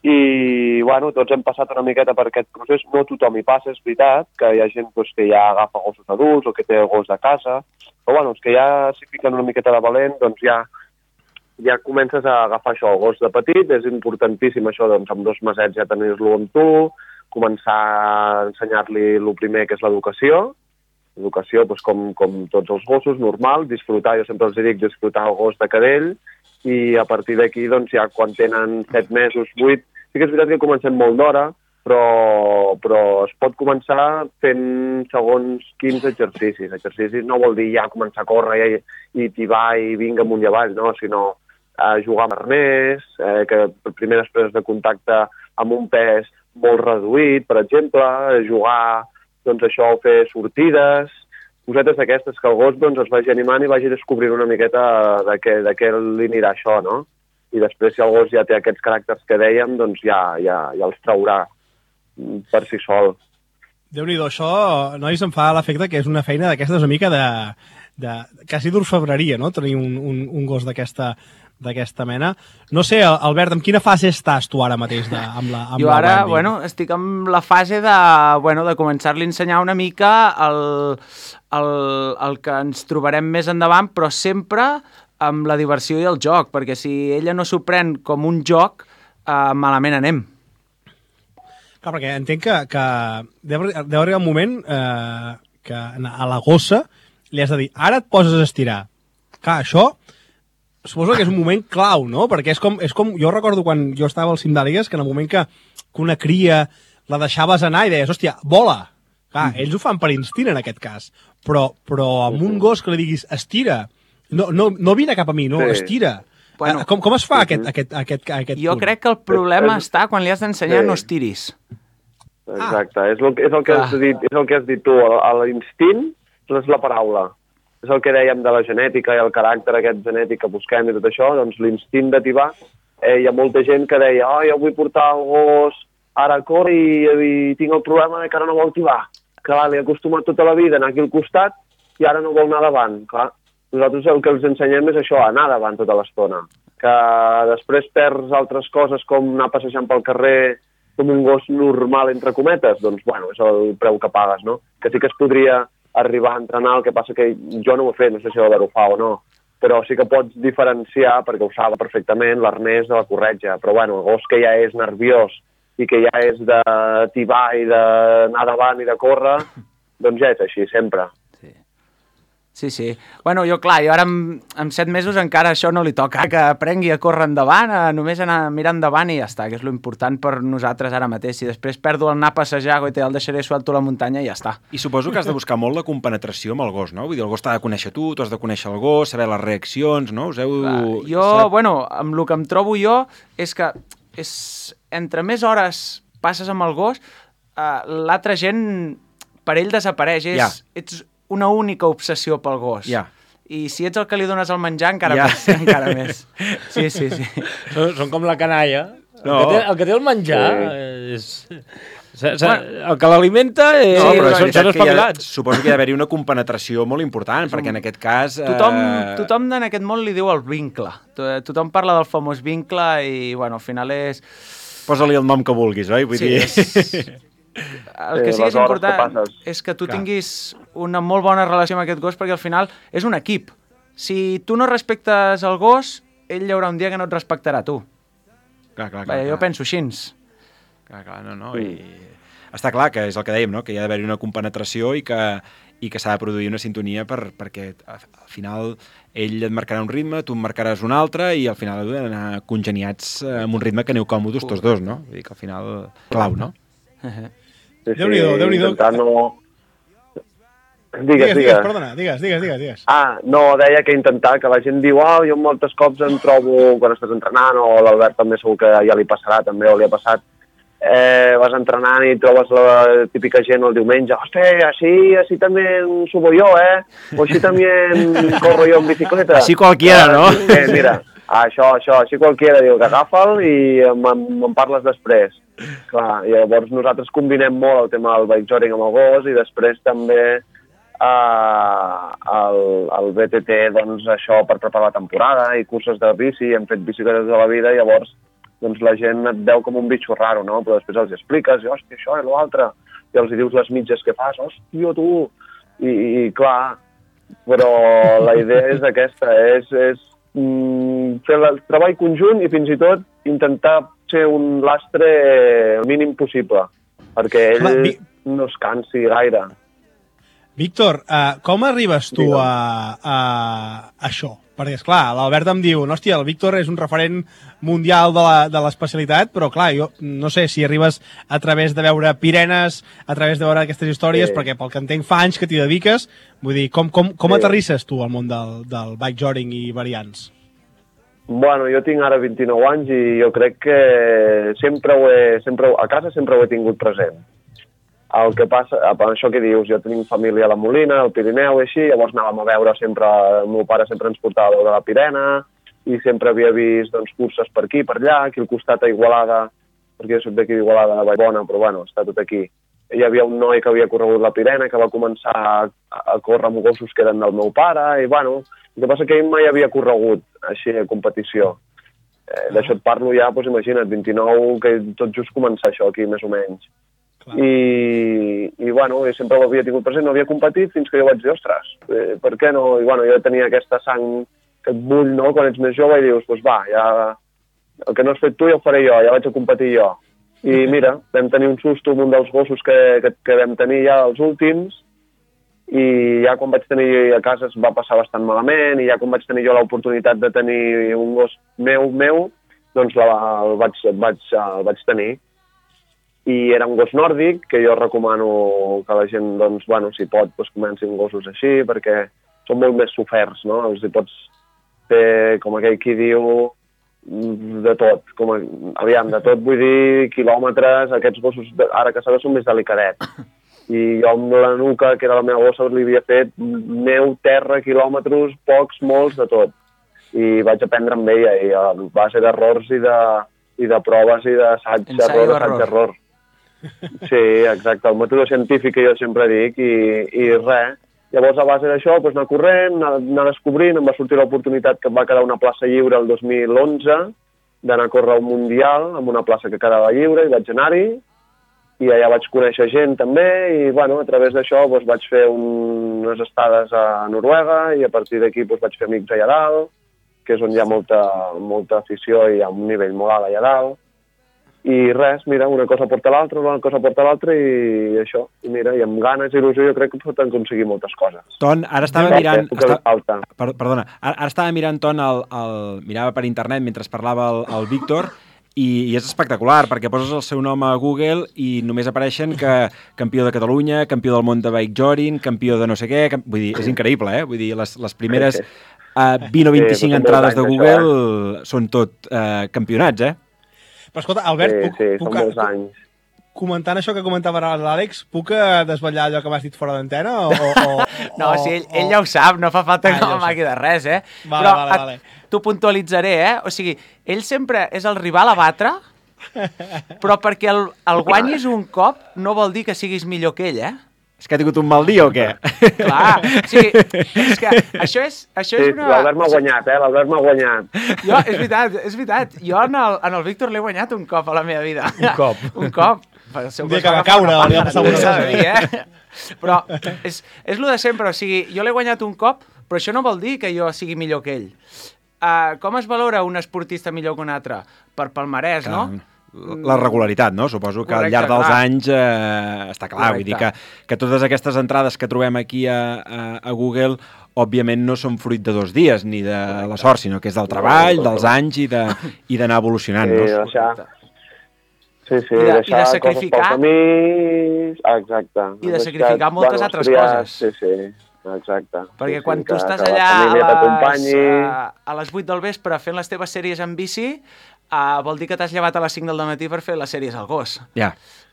i bueno, tots hem passat una miqueta per aquest procés. No tothom hi passa, és veritat, que hi ha gent que ja agafa gossos adults o que té gos de casa, però bueno, els que ja s'hi fiquen una miqueta de valent, doncs ja comences a agafar això, el gos de petit. És importantíssim això, doncs amb 2 mesets ja tenir-lo amb tu, començar a ensenyar-li el primer, que és l'educació, Educació, doncs, com tots els gossos, normal, disfrutar, jo sempre els dic, disfrutar el gos de cadell, i a partir d'aquí, doncs, ja quan tenen 7 mesos, 8, sí que és veritat que comencem molt d'hora, però es pot començar fent segons 15 exercicis. Exercicis no vol dir ja començar a córrer i tibar i vinga amunt i avall, no? Sinó jugar amb arnès, que primeres preses de contacte amb un pes molt reduït, per exemple, jugar, doncs això, fer sortides, cosetes d'aquestes, que el gos doncs, es vagi animant i vagi descobrint una miqueta de què li anirà això, no? I després, si el gos ja té aquests caràcters que dèiem, doncs ja els traurà per si sol. Déu-n'hi-do, això, nois, em fa l'efecte que és una feina d'aquestes una mica quasi d'orfebreria, no?, tenir un gos d'aquesta mena. No sé, Albert, en quina fase estàs tu ara mateix amb la Jo ara, Wendy? estic en la fase de començar-li a ensenyar una mica el que ens trobarem més endavant, però sempre amb la diversió i el joc, perquè si ella no s'ho pren com un joc, malament anem. Clar, perquè entenc que deu arribar un moment que a la gossa li has de dir, ara et poses a estirar. Clar, això suposo que és un moment clau, no? Perquè és com jo recordo quan jo estava al cim d'àligues, que en el moment que una cria la deixaves anar i deies, hòstia, vola! Clar, ells ho fan per instint en aquest cas, però amb un gos que li diguis, estira, no vine cap a mi, no, estira. Bueno, com es fa aquest jo punt? crec que el problema està quan li has d'ensenyar no estiris. Exacte, és el que has dit tu, l'instint és la paraula. És el que dèiem de la genètica i el caràcter aquest genètic que busquem i tot això, doncs l'instint de tibar, hi ha molta gent que deia, jo vull portar el gos ara a córrer i tinc el problema que ara no vol tibar. Clar, l'he acostumat tota la vida a anar aquí al costat i ara no vol anar davant. Clar, nosaltres el que els ensenyem és això, anar davant tota l'estona. Que després perds altres coses com anar passejant pel carrer com un gos normal, entre cometes, doncs, bueno, és el preu que pagues, no? Que sí que es podria arribar a entrenar, el que passa que jo no ho he fet, no sé si l'Albert ho fa o no, però sí que pots diferenciar, perquè ho sap perfectament, l'arnès de la corretja. Però, bueno, el gos que ja és nerviós i que ja és de tibar i d'anar davant i de córrer, doncs ja és així, sempre. Sí. Bueno, jo ara amb 7 mesos encara això no li toca, que aprengui a córrer endavant, a només anar mirant endavant i ja està, que és lo important per nosaltres ara mateix. Si després perdo el anar a passejar i el deixaré suelto a la muntanya, ja està. I suposo que has de buscar molt la compenetració amb el gos, no? Vull dir, el gos t'ha de conèixer tu has de conèixer el gos, saber les reaccions, no? Amb el que em trobo jo és que entre més hores passes amb el gos, l'altra gent per ell desapareix. Ets una única obsessió pel gos. I si ets el que li dones el menjar, encara més. Sí. Són com la canalla. El que té el menjar és... El que l'alimenta són espavilats. Suposo que hi ha d'haver-hi una compenetració molt important, perquè en aquest cas... Tothom en aquest món li diu el vincle. Tothom parla del famós vincle i, bueno, al final és... Posa-li el nom que vulguis, oi? Vull dir... El que sí que és important és que tu tinguis una molt bona relació amb aquest gos, perquè al final és un equip. Si tu no respectes el gos, ell hi haurà un dia que no et respectarà a tu. Clar. Jo penso així. Clar, no. I està clar que és el que dèiem, no? Que hi ha d'haver-hi una compenetració i que s'ha de produir una sintonia perquè al final ell et marcarà un ritme, tu em marcaràs un altre i al final heu d'anar congeniats amb un ritme que aneu còmodes tots dos, no? Vull dir que al final clau, no? Déu-n'hi-do. Intentar no... Digues, perdona, digues. No, deia que intentar, que la gent diu, jo moltes cops em trobo, quan estàs entrenant, o l'Albert també segur que ja li passarà, també, o li ha passat, vas entrenant i trobes la típica gent el diumenge, hòstia, así también subo yo, o així también corro yo en bicicleta. Així qualquiera, no? Mira, això, així qualquiera, diu que agafa'l i me'n parles després. Clar, i llavors nosaltres combinem molt el tema del bike jogging amb el gos i després també el BTT, doncs això per preparar la temporada i curses de bici, hem fet bicicletes de la vida i llavors doncs la gent et veu com un bitxo raro, no? Però després els expliques, i hòstia, això i l'altre, i els dius les mitges que fas, hòstia, tu! I clar, però la idea és aquesta, és fer el treball conjunt i fins i tot intentar ser un lastre el mínim possible, perquè ell no es cansi gaire. Víctor, com arribes tu a això? Perquè, esclar, l'Albert em diu, hòstia, el Víctor és un referent mundial de l'especialitat, però, clar, jo no sé si arribes a través de veure Pirenes, a través de veure aquestes històries, perquè pel que entenc fa anys que t'hi dediques, vull dir, com aterrisses tu al món del bikejoring i variants? Bueno, jo tinc ara 29 anys i jo crec que a casa sempre ho he tingut present. El que passa, per això que dius, jo tenim família a la Molina, al Pirineu i així, llavors anàvem a veure sempre, el meu pare sempre ens portava a veure la Pirena i sempre havia vist curses per aquí, per allà, aquí al costat a Igualada, perquè jo soc d'aquí d'Igualada, de Vallbona, però bueno, està tot aquí. Hi havia un noi que havia corregut la Pirena, que va començar a córrer amb gossos que eren del meu pare, i bueno, el que passa que ell mai havia corregut així a competició. D'això et parlo ja, doncs imagina't, 29, que tot just començar això aquí, més o menys. I bueno, sempre ho havia tingut present, no havia competit fins que jo vaig dir, ostres, per què no? I bueno, jo tenia aquesta sang que et bull, no?, quan ets més jove i dius, doncs va, ja, el que no has fet tu ja ho faré jo, ja vaig a competir jo. I mira, vam tenir un susto amb un dels gossos que vam tenir ja els últims i ja quan vaig tenir a casa es va passar bastant malament i ja quan vaig tenir jo l'oportunitat de tenir un gos meu, doncs el vaig tenir. I era un gos nòrdic, que jo recomano que la gent, doncs, bueno, si pot, doncs comenci amb gossos així, perquè són molt més soferts, no? Els hi pots fer, com aquell qui diu, de tot. De tot vull dir quilòmetres, aquests gossos, ara que sabeu, són més delicadets. I jo amb la Nuca, que era la meva gossa, li havia fet neu, terra, quilòmetres, pocs, molts, de tot. I vaig aprendre amb ella, i a base d'errors i de proves i d'assaig, error. Sí, exacte, el mètode científic que jo sempre dic i res. Llavors, a base d'això, doncs, anar corrent, anar descobrint, em va sortir l'oportunitat que em va quedar una plaça lliure el 2011 d'anar a córrer un mundial amb una plaça que quedava lliure i vaig anar-hi i allà vaig conèixer gent també i, bueno, a través d'això doncs, vaig fer unes estades a Noruega i a partir d'aquí doncs, vaig fer amics allà dalt, que és on hi ha molta afició i hi ha un nivell molt alt allà dalt. I res, mira, una cosa porta l'altra i això. I mira, i amb ganes i il·lusió jo crec que pot aconseguir moltes coses. Ton, ara estava mirant... Perdona, ara estava mirant, Ton, mirava per internet mentre parlava el Víctor i és espectacular, perquè poses el seu nom a Google i només apareixen que campió de Catalunya, campió del món de bikejoring, campió de no sé què... Vull dir, és increïble, eh? Vull dir, les primeres 20 o 25 entrades de Google són tot campionats, eh? Però escolta, Albert, són molts anys. Comentant això que comentava l'Àlex, puc desvetllar allò que m'has dit fora d'antena? No, sí, ell ja ho sap, no fa falta que m'amagui de res, eh? Vale. T'ho puntualitzaré, eh? O sigui, ell sempre és el rival a batre, però perquè el guanyis un cop no vol dir que siguis millor que ell, eh? És que ha tingut un mal dia o què? Clar, o sigui, és que això és una... L'Albert m'ha guanyat, l'Albert m'ha guanyat. Jo, és veritat. Jo en el Víctor l'he guanyat un cop a la meva vida. Un cop. Un dia que va caure, li va passar una cosa. Però és el de sempre, o sigui, jo l'he guanyat un cop, però això no vol dir que jo sigui millor que ell. Com es valora un esportista millor que un altre? Per palmarès, no? La regularitat, no? Suposo que al llarg dels anys està clar. Vull dir que totes aquestes entrades que trobem aquí a Google òbviament no són fruit de 2 dies ni de la sort, sinó que és del treball, dels anys i d'anar evolucionant. Sí, no? Sí, deixar coses pel camí... Exacte. I de sacrificar moltes altres coses. Sí, exacte. Perquè quan tu estàs allà a les 8 del vespre fent les teves sèries en bici, vol dir que t'has llevat a les 5 del matí per fer les sèries al gos. Ja.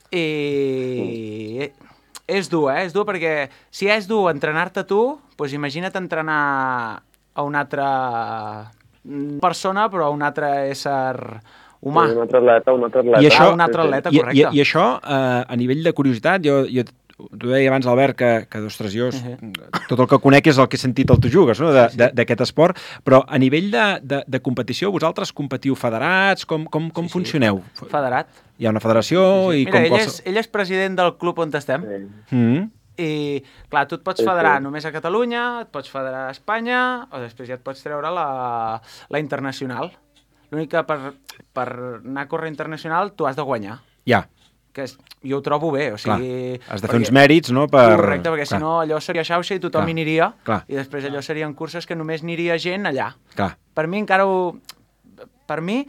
I és dur, És dur perquè si és dur entrenar-te tu, doncs imagina't entrenar a una altra persona, però a un altre ésser humà. Un altre atleta. I això, un altre atleta, correcte. I això, a nivell de curiositat, jo t'ho deia abans, Albert, que ostres, jo tot el que conec és el que he sentit al Tu Jugues, no? d'aquest esport, però a nivell de competició, vosaltres competiu federats? Com funcioneu? Federat. Hi ha una federació? I mira, ell és president del club on estem. I, clar, tu et pots federar només a Catalunya, et pots federar a Espanya, o després ja et pots treure la internacional. L'únic que per anar a córrer internacional tu has de guanyar. Ja. jo ho trobo bé, o sigui... Clar, has de fer uns mèrits, no? Correcte, perquè si no allò seria xauxa i tothom hi aniria, i després allò serien curses que només aniria gent allà. Clar. Per mi encara Per mi,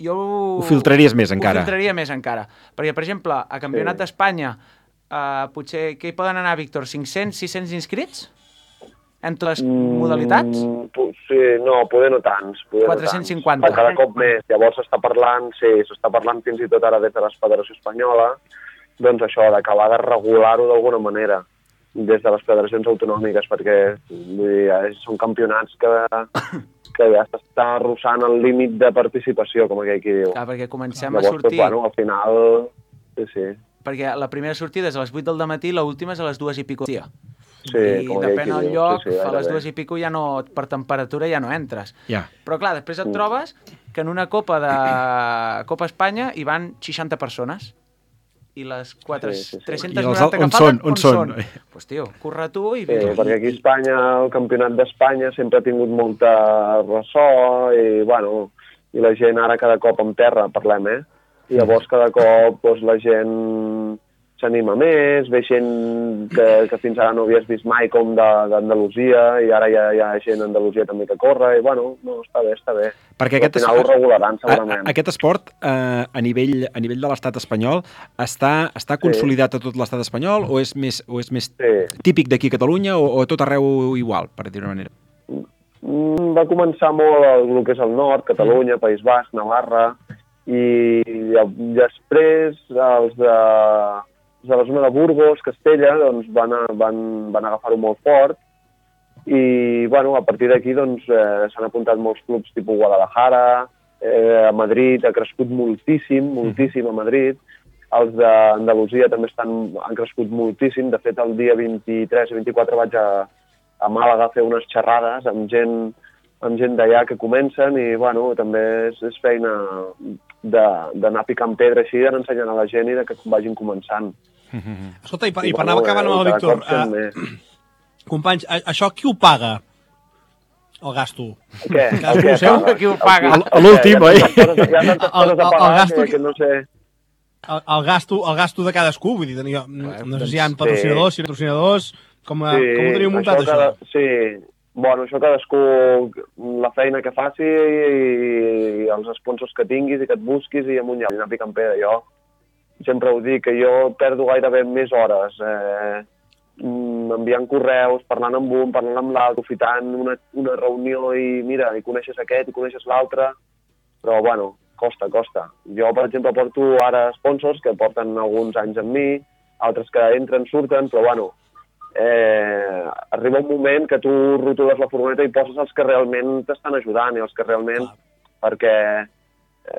jo... Ho filtraries més encara. Ho filtraria més encara. Perquè, per exemple, a Campionat d'Espanya, potser, què hi poden anar, Víctor? 500, 600 inscrits? Entre les modalitats? Sí, no, poder no tants. 450. Cada cop més. Llavors s'està parlant fins i tot ara des de la Federació Espanyola, doncs això, d'acabar de regular-ho d'alguna manera des de les federacions autonòmiques, perquè són campionats que ja s'està arrossant el límit de participació, com aquell qui diu. Clar, perquè comencem a sortir... Llavors, al final... Sí. Perquè la primera sortida és a les 8 del matí i l'última és a les 2 i pico dia. Sí, i depèn del lloc, a les 2 i pico ja no, per temperatura ja no entres. Però clar, després et trobes que en una copa de Copa Espanya hi van 60 persones i les 390 que falten, on són? Pues tio, corre tu i... perquè aquí a Espanya, el campionat d'Espanya sempre ha tingut molta ressò i, bueno, i la gent ara cada cop en terra, parlem, I llavors cada cop la gent s'anima més, ve gent que fins ara no havies vist mai com d'Andalusia i ara ja hi ha gent d'Andalusia també que corre i bueno, està bé. Perquè al final ho regularan segurament. Aquest esport a nivell de l'estat espanyol està consolidat a tot l'estat espanyol o és més típic d'aquí a Catalunya o a tot arreu igual, per dir-ho d'una manera? Va començar molt el que és el nord, Catalunya, País Basc, Navarra i després els de la zona de Burgos, Castella, doncs van agafar-ho molt fort i, bueno, a partir d'aquí doncs, s'han apuntat molts clubs tipus Guadalajara, a Madrid ha crescut moltíssim a Madrid, els d'Andalusia també han crescut moltíssim, de fet el dia 23 i 24 vaig a Màlaga a fer unes xerrades amb gent d'allà que comencen i, bueno, també és feina d'anar picant pedra així, d'anar ensenyant a la gent i que vagin començant. Escolta, i per anar acabant amb el Víctor, companys, això qui ho paga? El gasto. Què? Qui ho paga? L'últim, oi? El gasto de cadascú, vull dir, no sé si hi ha patrocinadors, com ho teniu muntat, això? Sí, bueno, això cadascú, la feina que faci i els sponsors que tinguis i que et busquis i amunt i anar picant pedra. Jo sempre ho dic, que jo perdo gairebé més hores enviant correus, parlant amb un, parlant amb l'altre, aprofitant una reunió i mira, i coneixes aquest i coneixes l'altre, però bueno, costa. Jo, per exemple, porto ara sponsors que porten alguns anys amb mi, altres que entren, surten, però bueno, arriba un moment que tu rotules la furgoneta i poses els que realment t'estan ajudant i els que realment, perquè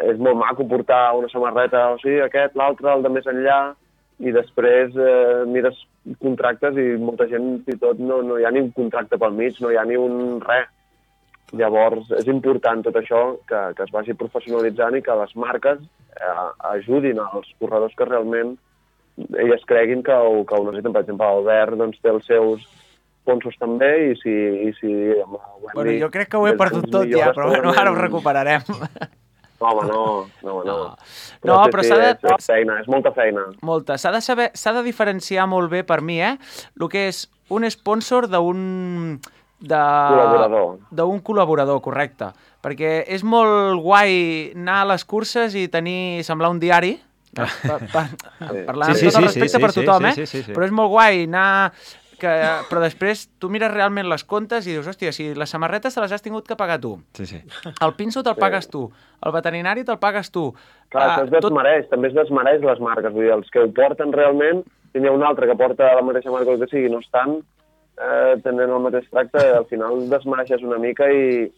és molt maco portar una samarreta, o sigui, aquest, l'altre, el de més enllà, i després mires contractes i molta gent, fins i tot, no hi ha ni un contracte pel mig, no hi ha ni un res. Llavors, és important tot això, que es vagi professionalitzant i que les marques ajudin als corredors que realment elles creguin que ho necessiten. Per exemple, Albert doncs, té els seus sponsors també i si bueno, jo crec que ho he perdut tot ja, però bueno, ara ho recuperarem. Home, no. No, però s'ha de... És feina, és molta feina. Molta. S'ha de diferenciar molt bé per mi, el que és un sponsor d'un col·laborador, correcte. Perquè és molt guai anar a les curses i semblar un diari, parlant amb tot el respecte per tothom, però és molt guai anar... Però després tu mires realment les comptes i dius, hòstia, si les samarretes te les has tingut que pagar tu. El pinso te'l pagues tu. El veterinari te'l pagues tu. Clar, això també es desmereix les marques. Vull dir, els que ho porten realment, si n'hi ha un altre que porta la mateixa marca que sigui, no estan tenint el mateix tracte, al final desmereixes una mica i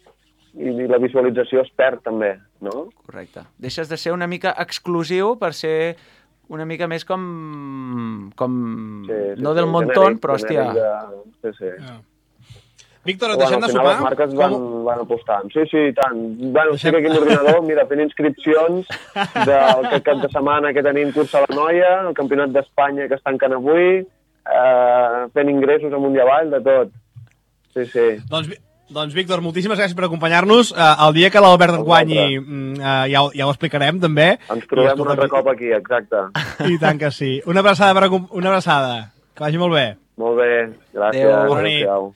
la visualització es perd també, no? Correcte. Deixes de ser una mica exclusiu per ser una mica més com no del montón, però hòstia. Víctor, et deixem de sopar? Les marques van apostant. Sí, tant. Bueno, estic aquí amb l'ordinador, mira, fent inscripcions del cap de setmana que tenim cursa a la Noia, el Campionat d'Espanya que es tanquen avui, fent ingressos amunt i avall, de tot. Sí. Doncs Doncs, Víctor, moltíssimes gràcies per acompanyar-nos. El dia que l'Albert guanyi ja ho explicarem, també. Ens trobem un altre cop aquí, exacte. I tant que sí. Una abraçada. Que vagi molt bé. Molt bé, gràcies. Adéu.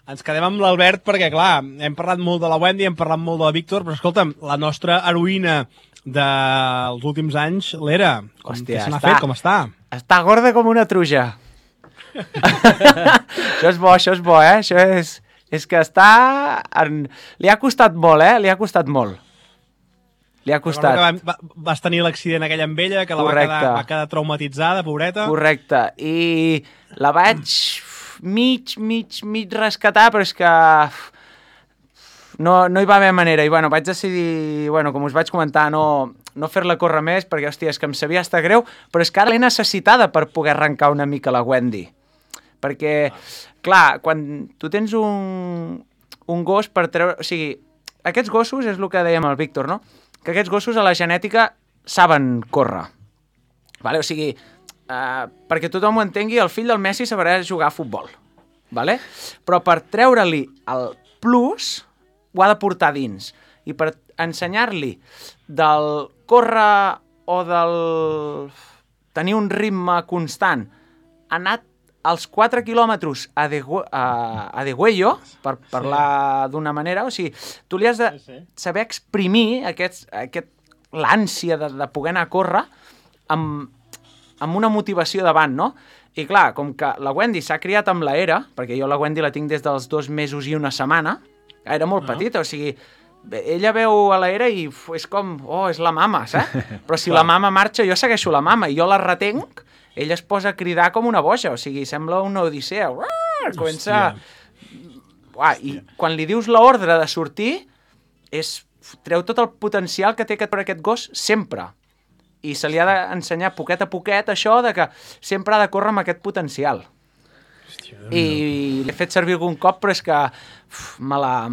Ens quedem amb l'Albert perquè, clar, hem parlat molt de la Wendy, hem parlat molt de la Víctor, però escolta'm, la nostra heroïna dels últims anys, l'Era. Què se n'ha fet? Com està? Està gorda com una truja. Això és bo, eh? Això és que està... Li ha costat molt, eh? Li ha costat molt. Li ha costat. Vas tenir l'accident aquell amb ella, que la va quedar traumatitzada, pobreta. Correcte. I la vaig mig rescatar, però és que no hi va haver manera. I bueno, vaig decidir, com us vaig comentar, no fer-la córrer més, perquè, hòstia, és que em sabia estar greu, però és que ara l'he necessitada per poder arrencar una mica la Wendy. Perquè, clar, quan tu tens un gos per treure... O sigui, aquests gossos, és el que dèiem al Víctor, no? Que aquests gossos a la genètica saben córrer. Vale? O sigui, perquè tothom ho entengui, el fill del Messi sabrà jugar a futbol. Vale? Però per treure-li el plus, ho ha de portar dins. I per ensenyar-li del córrer o del tenir un ritme constant, ha anat als 4 quilòmetres a degüello, per parlar d'una manera, o sigui, tu li has de saber exprimir l'ànsia de poder anar a córrer amb una motivació davant, no? I clar, com que la Wendy s'ha criat amb la Era, perquè jo la Wendy la tinc des dels 2 mesos i una setmana, era molt petita, o sigui, ella veu a la Era i és com, és la mama, saps? Però si la mama marxa, jo segueixo la mama i jo la retenc, ella es posa a cridar com una boja, o sigui, sembla una odissea. Comença... I quan li dius l'ordre de sortir, treu tot el potencial que té per aquest gos sempre. I se li ha d'ensenyar poquet a poquet això de que sempre ha de córrer amb aquest potencial. I l'he fet servir algun cop, però és que me la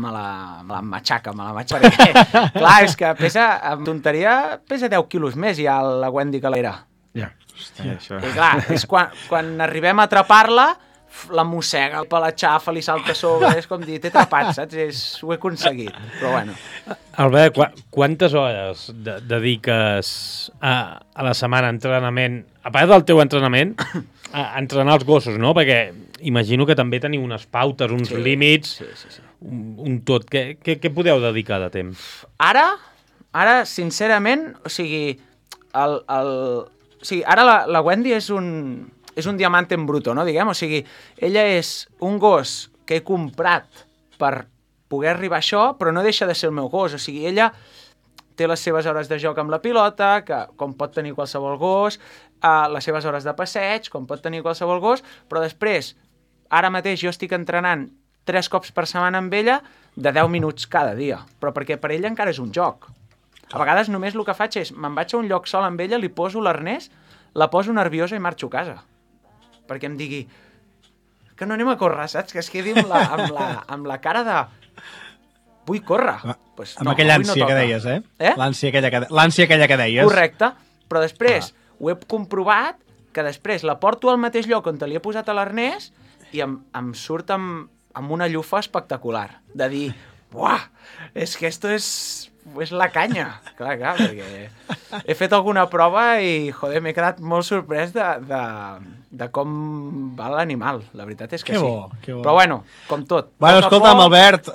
matxaca, perquè, clar, és que amb tonteria, pesa 10 quilos més ja la Wendy que l'era. Ja, hòstia, això... I clar, és quan arribem a atrapar-la, la mossega, el pelatxafa, li salta a sobre, és com dir, t'he atrapat, saps? Ho he aconseguit, però bueno. Albert, quantes hores dediques a la setmana a entrenament, a part del teu entrenament, a entrenar els gossos, no? Perquè imagino que també teniu unes pautes, uns límits, un tot. Què podeu dedicar de temps? Ara, sincerament, o sigui, ara la Wendy és un diamant en bruto, no, diguem? O sigui, ella és un gos que he comprat per poder arribar a això, però no deixa de ser el meu gos. O sigui, ella té les seves hores de joc amb la pilota, que com pot tenir qualsevol gos, les seves hores de passeig, com pot tenir qualsevol gos, però després, ara mateix jo estic entrenant 3 cops per setmana amb ella de 10 minuts cada dia, però perquè per ella encara és un joc. A vegades només el que faig és, me'n vaig a un lloc sol amb ella, li poso l'arnès, la poso nerviosa i marxo a casa. Perquè em digui que no anem a córrer, saps? Que es quedi amb la cara de vull córrer. Pues amb aquella ànsia que deies, L'ànsia aquella que deies. Correcte, però després ho he comprovat que després la porto al mateix lloc on te li he posat a l'arnès i em surt amb una llufa espectacular. De dir, buah, és que esto és la canya. Clar, perquè he fet alguna prova i, joder, m'he quedat molt sorprès de com va l'animal. La veritat és que sí. Que bo. Però bueno, com tot. Bueno, escolta'm, Albert,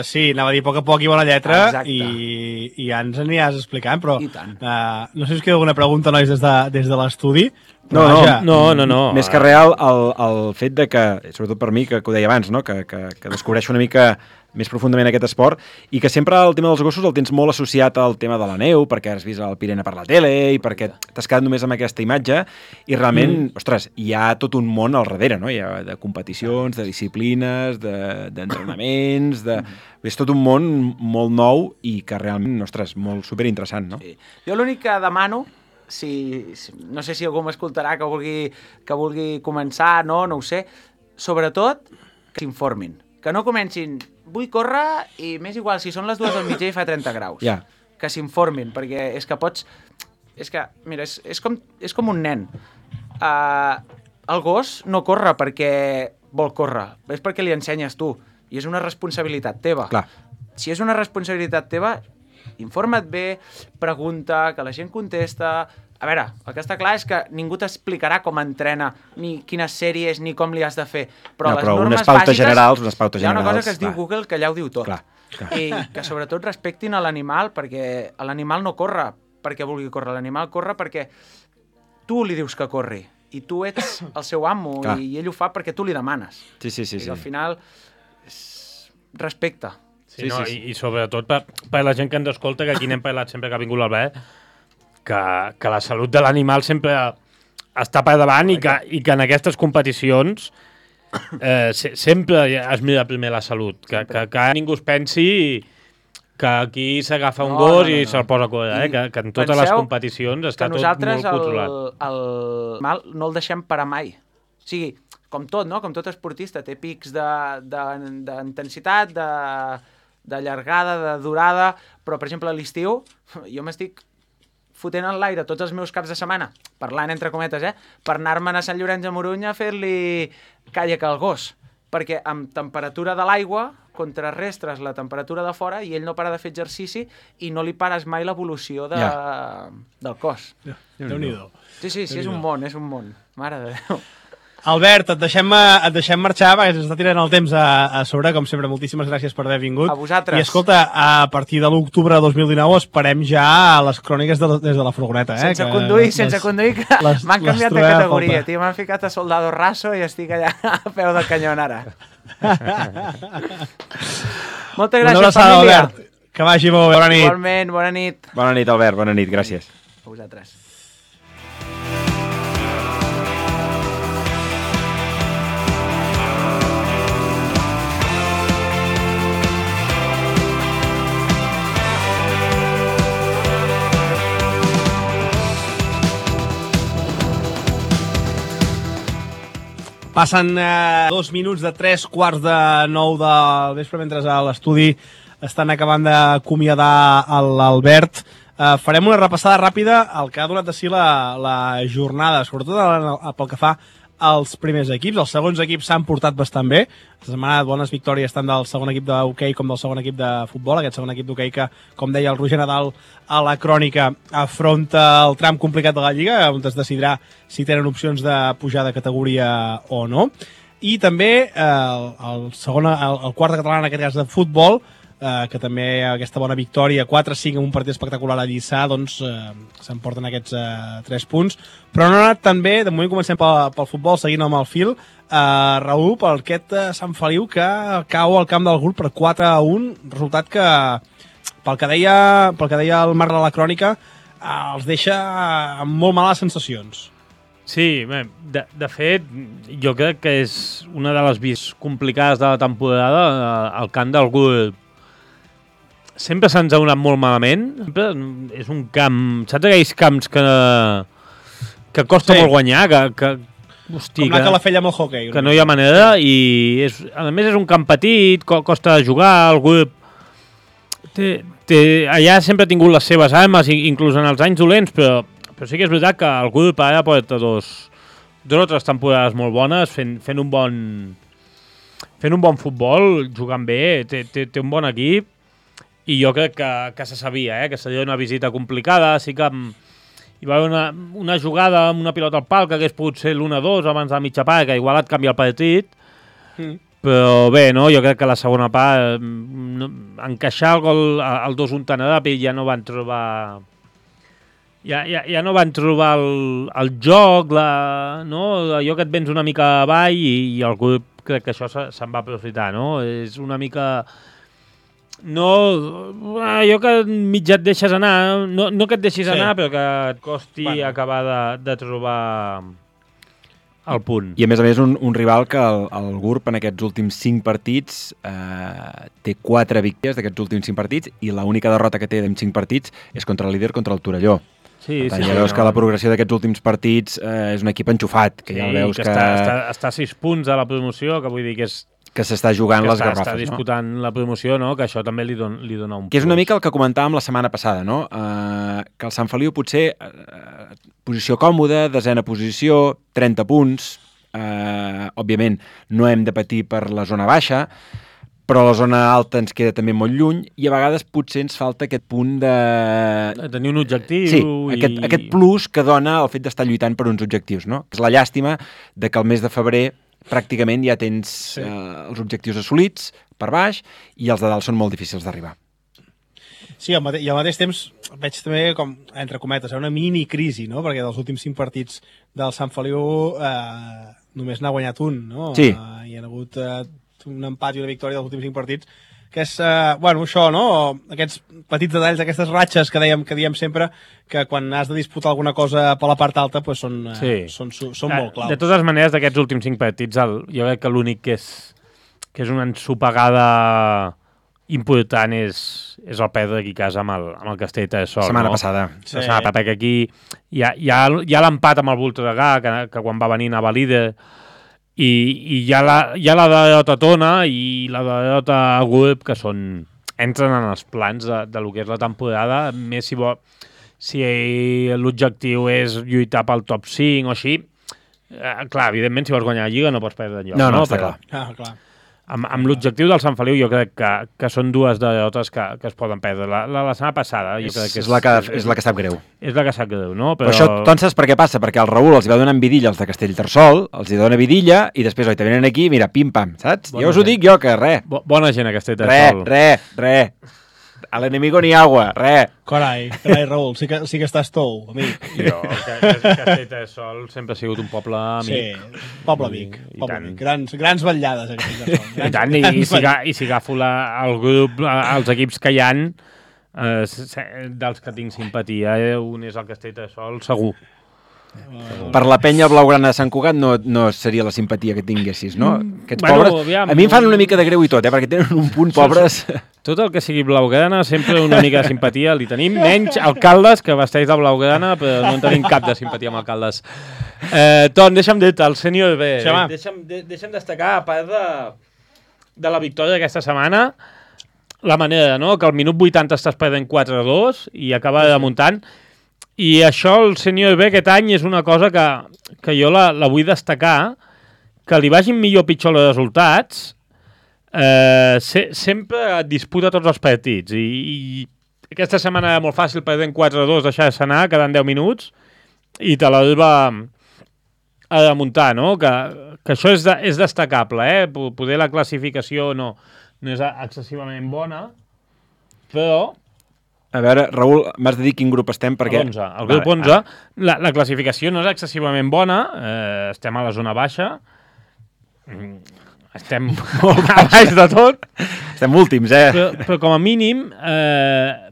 sí, anava a dir a poc i bona lletra i ja ens aniràs explicant, però no sé si us queda alguna pregunta, nois, des de l'estudi. No. Més que real, el fet de que, sobretot per mi, que ho deia abans, no? que descobreixo una mica més profundament aquest esport, i que sempre el tema dels gossos el tens molt associat al tema de la neu, perquè has vist el Pirena per la tele, i perquè t'has quedat només amb aquesta imatge, i realment, ostres, hi ha tot un món al darrere, no? Hi ha de competicions, de disciplines, d'entrenaments, és tot un món molt nou i que realment, ostres, molt superinteressant, no? Sí. Jo l'únic que demano, no sé si algú m'escoltarà que vulgui començar, no ho sé, sobretot que s'informin, que no comencin vull córrer i m'és igual si són les 2 del migdia i fa 30 graus. Yeah. Que s'informin, perquè és que pots... És que, mira, és com un nen. El gos no corre perquè vol córrer, és perquè li ensenyes tu. i és una responsabilitat teva. Clar. Si és una responsabilitat teva, informa't bé, pregunta, que la gent contesta. A veure, el que està clar és que ningú t'explicarà com entrena, ni quines sèries, ni com li has de fer. Però les normes unes pautes bàsiques, generals, unes pautes hi ha una cosa generals, que es diu Google que allà ho diu tot. Clar. I que sobretot respectin a l'animal, perquè l'animal no corre perquè vulgui córrer, l'animal corre perquè tu li dius que corri i tu ets el seu amo i ell ho fa perquè tu li demanes. Sí. I al final respecte. Sí. I sobretot per la gent que ens escolta, que aquí n'hem parlat sempre que ha vingut l'Albert, que la salut de l'animal sempre està per davant i que en aquestes competicions sempre es mira primer la salut, que ningú es pensi que aquí s'agafa un gos i se'l posa a córrer, que en totes les competicions està tot molt controlat. Nosaltres no el deixem parar mai. O sigui, com tot, no? Com tot esportista, té pics d'intensitat, de llargada, de durada, però, per exemple, a l'estiu, jo m'estic fotent en l'aire tots els meus caps de setmana, parlant entre cometes, per anar-me'n a Sant Llorenç de Morunys a fer-li càllac al gos, perquè amb temperatura de l'aigua contrarrestres la temperatura de fora i ell no para de fer exercici i no li pares mai l'evolució del cos. Déu-n'hi-do. Sí, és un món, Mare de Déu. Albert, et deixem marxar, perquè ens està tirant el temps a sobre, com sempre. Moltíssimes gràcies per haver vingut. A vosaltres. I escolta, a partir de l'octubre de 2019 esperem ja les cròniques des de la furgoneta. Sense conduir, que m'han canviat de categoria, tio. M'han ficat a soldado raso i estic allà a peu del canyón ara. Moltes gràcies, família. Albert. Que vagi bo, bona nit. Igualment, bona nit. Bona nit, Albert, bona nit, gràcies. A vosaltres. Passen 2 minuts de 3:15 del vespre, mentre a l'estudi estan acabant d'acomiadar l'Albert. Farem una repassada ràpida al que ha donat de si la jornada, sobretot pel que fa als primers equips. Els segons equips s'han portat bastant bé. Aquesta setmana bones victòries tant del segon equip d'hoquei com del segon equip de futbol. Aquest segon equip d'hoquei que, com deia el Roger Nadal a la crònica, afronta el tram complicat de la Lliga, on es decidirà si tenen opcions de pujar de categoria o no. I també el quart de català, en aquest cas de futbol, que també aquesta bona victòria 4-5 en un partit espectacular a Lliçà, doncs s'emporten aquests 3 punts, però no ha anat tan bé. De moment comencem pel futbol, seguint amb el fil. Raül, per aquest Sant Feliu que cau al camp del Gurb per 4-1, resultat que pel que deia el Marc de la crònica els deixa amb molt males sensacions. Sí, de fet, jo crec que és una de les vies complicades de la temporada, el camp del Gurb. Sempre se'ns ha donat molt malament. Sempre és un camp... Saps aquells camps que costa molt guanyar? Hosti, com la Calafell amb el hoquei. Que no hi ha manera i a més és un camp petit, costa de jugar, el grup... Allà sempre ha tingut les seves armes, inclús en els anys dolents, però sí que és veritat que el grup ara porta dos o tres temporades molt bones, fent un bon futbol, jugant bé, té un bon equip. I jo crec que se sabia, que seria una visita complicada. Sí que hi va haver una jugada amb una pilota al pal que hagués pogut ser l'1-2 abans de la mitja part, que igual et canvia el partit. Però bé, no? Jo crec que la segona part, encaixar el gol, el 2-1 tan ràpid, ja no van trobar... Ja no van trobar el joc, allò que et vens una mica avall i el grup crec que això se'n va aprofitar, no? És una mica... No, allò que mitja et deixes anar, no que et deixis anar, però que et costi acabar de trobar el punt. I a més un rival que el Gurb en aquests últims 5 partits té 4 victòries d'aquests últims 5 partits i l'única derrota que té en 5 partits és contra el líder, contra el Torelló. Sí, ja veus que la progressió d'aquests últims partits és un equip enxufat, que ja veus que... Està a 6 punts a la promoció, que vull dir que és... Que s'està jugant les garrofes, no? Està disputant la promoció, no? Que això també li dona un... Que és una mica el que comentàvem la setmana passada, no? Que el Sant Feliu potser posició còmoda, 10a posició, 30 punts, òbviament no hem de patir per la zona baixa, però la zona alta ens queda també molt lluny i a vegades potser ens falta aquest punt de... Tenir un objectiu. Sí, aquest plus que dona el fet d'estar lluitant per uns objectius, no? És la llàstima de que el mes de febrer pràcticament ja tens els objectius assolits per baix i els de dalt són molt difícils d'arribar. Sí, i al mateix temps veig també com, entre cometes, una mini crisi, no? Perquè dels últims 5 partits del Sant Feliu només n'ha guanyat un, no? Sí. Hi ha hagut un empat i una victòria dels últims 5 partits, que és, bueno, això, no? Aquests petits detalls, aquestes ratxes que diem sempre, que quan has de disputar alguna cosa per la part alta, pues són molt claus. De totes maneres, d'aquests últims 5 partits, jo crec que l'únic que és una ensopegada important és el perdre aquí a casa amb el Castellterçol. Setmana passada. Sí. Perquè aquí hi ha l'empat amb el Voltregà, que quan va venir anava líder, i hi ha la derrota Tona i la derrota Web, que entren en els plans de lo que és la temporada, més si l'objectiu és lluitar pel top 5 o així. Clar, evidentment, si vols guanyar la Lliga no pots perdre enlloc. No, està clar. Clar. Amb l'objectiu del Sant Feliu jo crec que són dues derrotes que es poden perdre. La setmana passada jo crec que és la que sap greu. És la que sap greu, no? Però això, saps per què passa? Perquè el Raül els va donar vidilla als de Castellterçol, els hi dona vidilla i després te venen aquí, mira, pim-pam, saps? Ja us ho dic jo, que res. Bona gent a Castellterçol. Res. A l'enemigo ni agua, res. Carai, Raül, sí que estàs tou, amic. Jo, Castellterçol sempre ha sigut un poble amic. Sí, poble amic. Grans vetllades a Castellterçol. I tant, i si agafo el grup, els equips que hi ha, dels que tinc simpatia, un és el Castellterçol, segur. Per la penya blaugrana de Sant Cugat no seria la simpatia que tinguessis, no? Aquests pobres, a mi em fan una mica de greu i tot, perquè tenen un punt pobres. Tot el que sigui blaugrana, sempre una mica de simpatia li tenim, menys alcaldes que vesteix de blaugrana, però no en tenim cap de simpatia amb alcaldes. Ton, deixa'm dir-te, el sènior B, deixa'm destacar, a part de la victòria d'aquesta setmana, la manera, no?, que al minut 80 estàs perdent 4-2 i acaba remuntant. I això, el sènior B aquest any és una cosa que jo la vull destacar, que li vagin millor o pitjor els resultats, sempre disputa tots els partits. I aquesta setmana era molt fàcil, perdent 4-2, deixar-se anar, quedant 10 minuts, i te l'Alba a remuntar, no? Que això és destacable, Poder la classificació no és excessivament bona, però... A veure, Raül, m'has de dir quin grup estem, perquè... El grup 11. La classificació no és excessivament bona, estem a la zona baixa, estem molt a baix de tot. Estem últims, Però com a mínim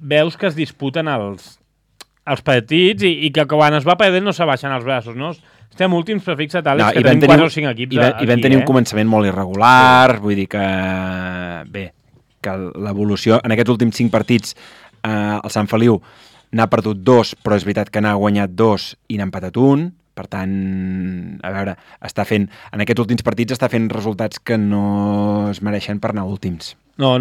veus que es disputen els partits i que quan es va perdent no s'abaixen els braços, no? Estem últims, però fixa't, Àlex, que tenim 4 o 5 equips aquí. I vam tenir un començament molt irregular, vull dir que... Bé, que l'evolució en aquests últims 5 partits el Sant Feliu n'ha perdut 2, però és veritat que n'ha guanyat 2 i n'ha empatat 1. Per tant, a veure, en aquests últims partits està fent resultats que no es mereixen per anar últims. No.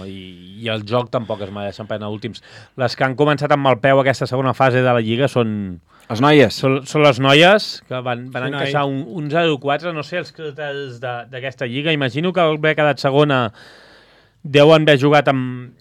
I el joc tampoc es mereixen per anar últims. Les que han començat amb mal peu aquesta segona fase de la Lliga són... Les noies? Són les noies, que van encaixar un 0-4. No sé els criteris d'aquesta Lliga. Imagino que haver quedat segona deuen haver jugat amb...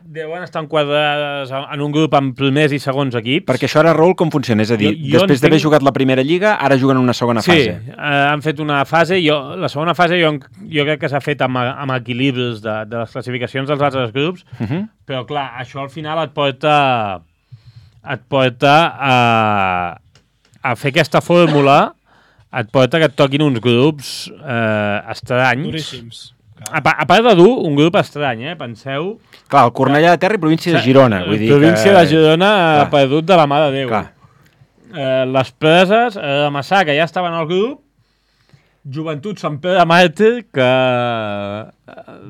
Deuen estar enquadrades en un grup amb primers i segons equips. Perquè això ara, Raül, com funciona? És a dir, després d'haver jugat la primera lliga, ara juguen una segona fase. Sí, han fet una fase. La segona fase jo crec que s'ha fet amb equilibris de les classificacions dels altres grups, però clar, això al final et porta a fer aquesta fórmula, et porta que et toquin uns grups estranys. Duríssims. A part de dur, un grup estrany, penseu... Clar, el Cornellà de Terra i província de Girona. Vull dir província de Girona ha perdut de la mà de Déu. Les Preses, de Massà, que ja estaven al grup, Joventut Sant Pere de Màrtir, que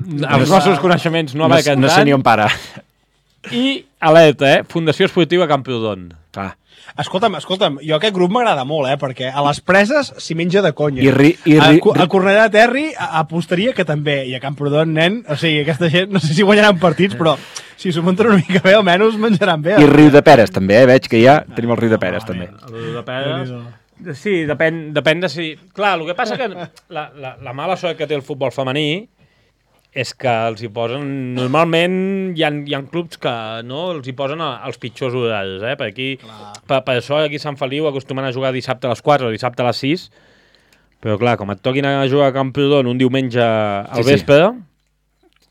els nostres coneixements no va cantant. No sé ni on para. I, alerta, Fundació Esportiva Camprodon. Clar. Escolta'm, jo aquest grup m'agrada molt, perquè a les Preses s'hi menja de conya. A Cornellà de Terri apostaria que també, i a Camprodon, nen, o sigui, aquesta gent, no sé si guanyaran partits, però si s'ho munten una mica bé, almenys menjaran bé. I Riu de Peres, també, veig que ja tenim el Riu de Peres, també. El Riu de Peres... Sí, depèn de si... Clar, el que passa que la mala sort que té el futbol femení és que els hi posen... Normalment hi ha clubs que no els hi posen els pitjors horaris, Per aquí, per això aquí a Sant Feliu acostumen a jugar dissabte a les 4 o dissabte a les 6, però clar, com et toquin a jugar a Camprodon un diumenge al vespre...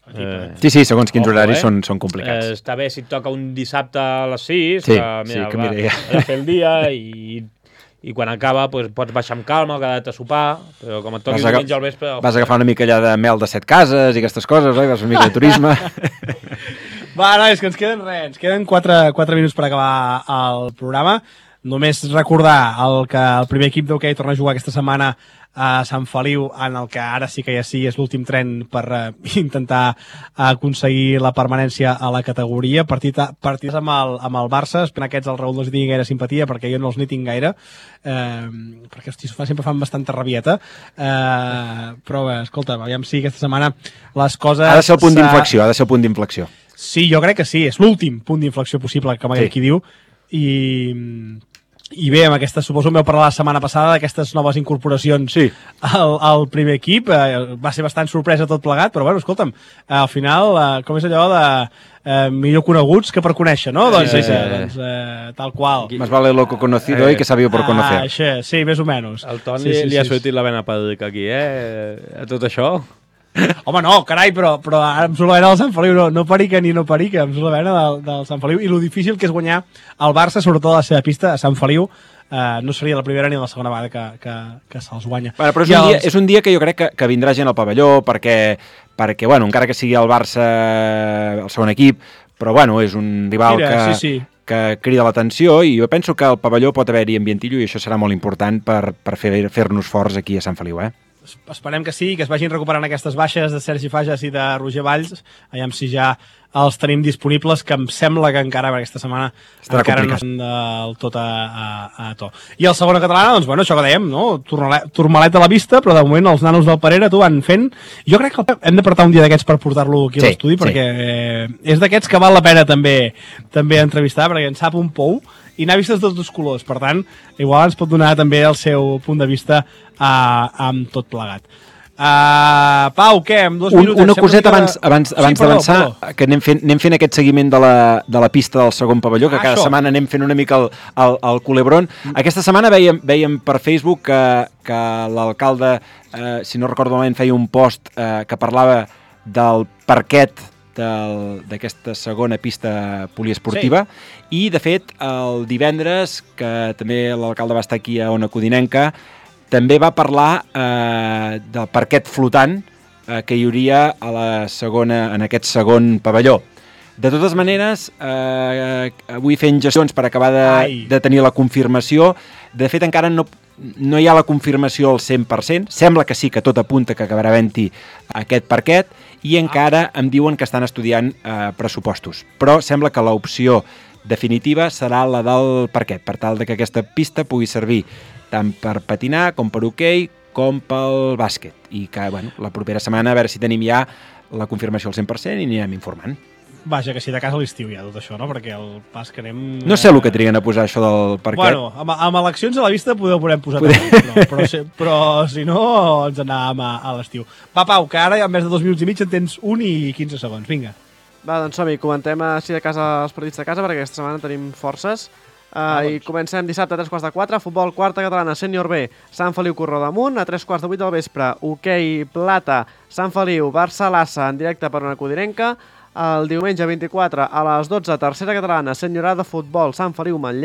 Sí, segons quins horaris són complicats. Està bé si et toca un dissabte a les 6, que mira, a fer el dia i quan acaba pots baixar amb calma o quedar-te a sopar, però com et toqui diumenge al vespre... Vas agafar una mica allà de mel de 7 cases i aquestes coses, oi? Vas fer una mica de turisme. Va, nois, que ens queden 4 minuts per acabar el programa. Només recordar que el primer equip d'hoquei torna a jugar aquesta setmana a Sant Feliu, en el que ara sí que ja sí és l'últim tren per intentar aconseguir la permanència a la categoria. Partits amb el Barça, espero que aquests el Raül no els tingui gaire simpatia, perquè jo no els n'hi tinc gaire, perquè hosti, sempre fan bastanta rabieta, però bé, escolta, aviam si aquesta setmana les coses... Ha de ser el punt d'inflexió, Sí, jo crec que sí, és l'últim punt d'inflexió possible, com aquell qui diu, i bé, amb aquesta, suposo que m'heu parlat la setmana passada d'aquestes noves incorporacions al primer equip, va ser bastant sorpresa tot plegat, però bueno, escolta'm, al final, com és allò de millor coneguts que per conèixer, no? Doncs tal qual. Más vale loco conocido y que sabido por conocer. Això, sí, més o menys. El Toni li ha sortit la vena pàdrica aquí, a tot això. Home, no, carai, però ara em surt la vena del Sant Feliu, no perica ni no perica, em surt la vena del Sant Feliu, i lo difícil que és guanyar el Barça, sobretot a la seva pista, a Sant Feliu, no seria la primera ni la segona vegada que se'ls guanya. Bueno, però és un dia que jo crec que vindrà gent al pavelló, perquè bueno, encara que sigui el Barça el segon equip, però bueno, és un rival que crida l'atenció, i jo penso que al pavelló pot haver-hi ambientillo, i això serà molt important per fer-nos forts aquí a Sant Feliu, Esperem que sí, que es vagin recuperant aquestes baixes de Sergi Fages i de Roger Valls, aviam si ja els tenim disponibles, que em sembla que encara aquesta setmana encara no són del tot a to. I el segona catalana, doncs bueno, això que dèiem, no? Turmalet a la vista, però de moment els nanos del Parera van fent. Jo crec que hem d'apartar un dia d'aquests per portar-lo aquí a l'estudi, perquè és d'aquests que val la pena també entrevistar, perquè en sap un pou i n'ha vist tots dos colors, per tant, igual ens pot donar també el seu punt de vista amb tot plegat. Pau, què? En 2 minuts... Una coseta abans d'avançar, que anem fent aquest seguiment de la pista del segon pavelló, que cada setmana anem fent una mica el culebrón. Aquesta setmana veiem per Facebook que l'alcalde, si no recordo malament, feia un post que parlava del parquet d'aquesta segona pista poliesportiva, i de fet el divendres, que també l'alcalde va estar aquí a Ona Codinenca, també va parlar del parquet flotant que hi hauria en aquest segon pavelló. De totes maneres, avui fent gestions per acabar de tenir la confirmació. De fet, encara no hi ha la confirmació al 100%. Sembla que sí, que tot apunta que acabarà havent-hi aquest parquet, i encara em diuen que estan estudiant pressupostos. Però sembla que l'opció definitiva serà la del parquet, per tal que aquesta pista pugui servir tant per patinar, com per hoquei, com pel bàsquet. I que, bueno, la propera setmana a veure si tenim ja la confirmació al 100% i anirem informant. Vaja, que si de casa a l'estiu ja tot això, no? Perquè el pas que anem... No sé el que triguen a posar això del parquet. Bueno, amb eleccions a la vista podem posar però si no ens anàvem a l'estiu. Va, Pau, que ara en més de 2 minuts i mig en tens 1 i 15 segons, vinga. Va, doncs som-hi, comentem així de casa els partits de casa, perquè aquesta setmana tenim forces. I comencem dissabte a 3:15, futbol quarta catalana, sènior B, Sant Feliu Corrodamunt, a 3:08 del vespre, hoquei plata, Sant Feliu, Barça-Lassa, en directe per Ona Codinenca. El diumenge 24 a les 12, tercera catalana, sènior A de futbol, Sant Feliu Manlleu.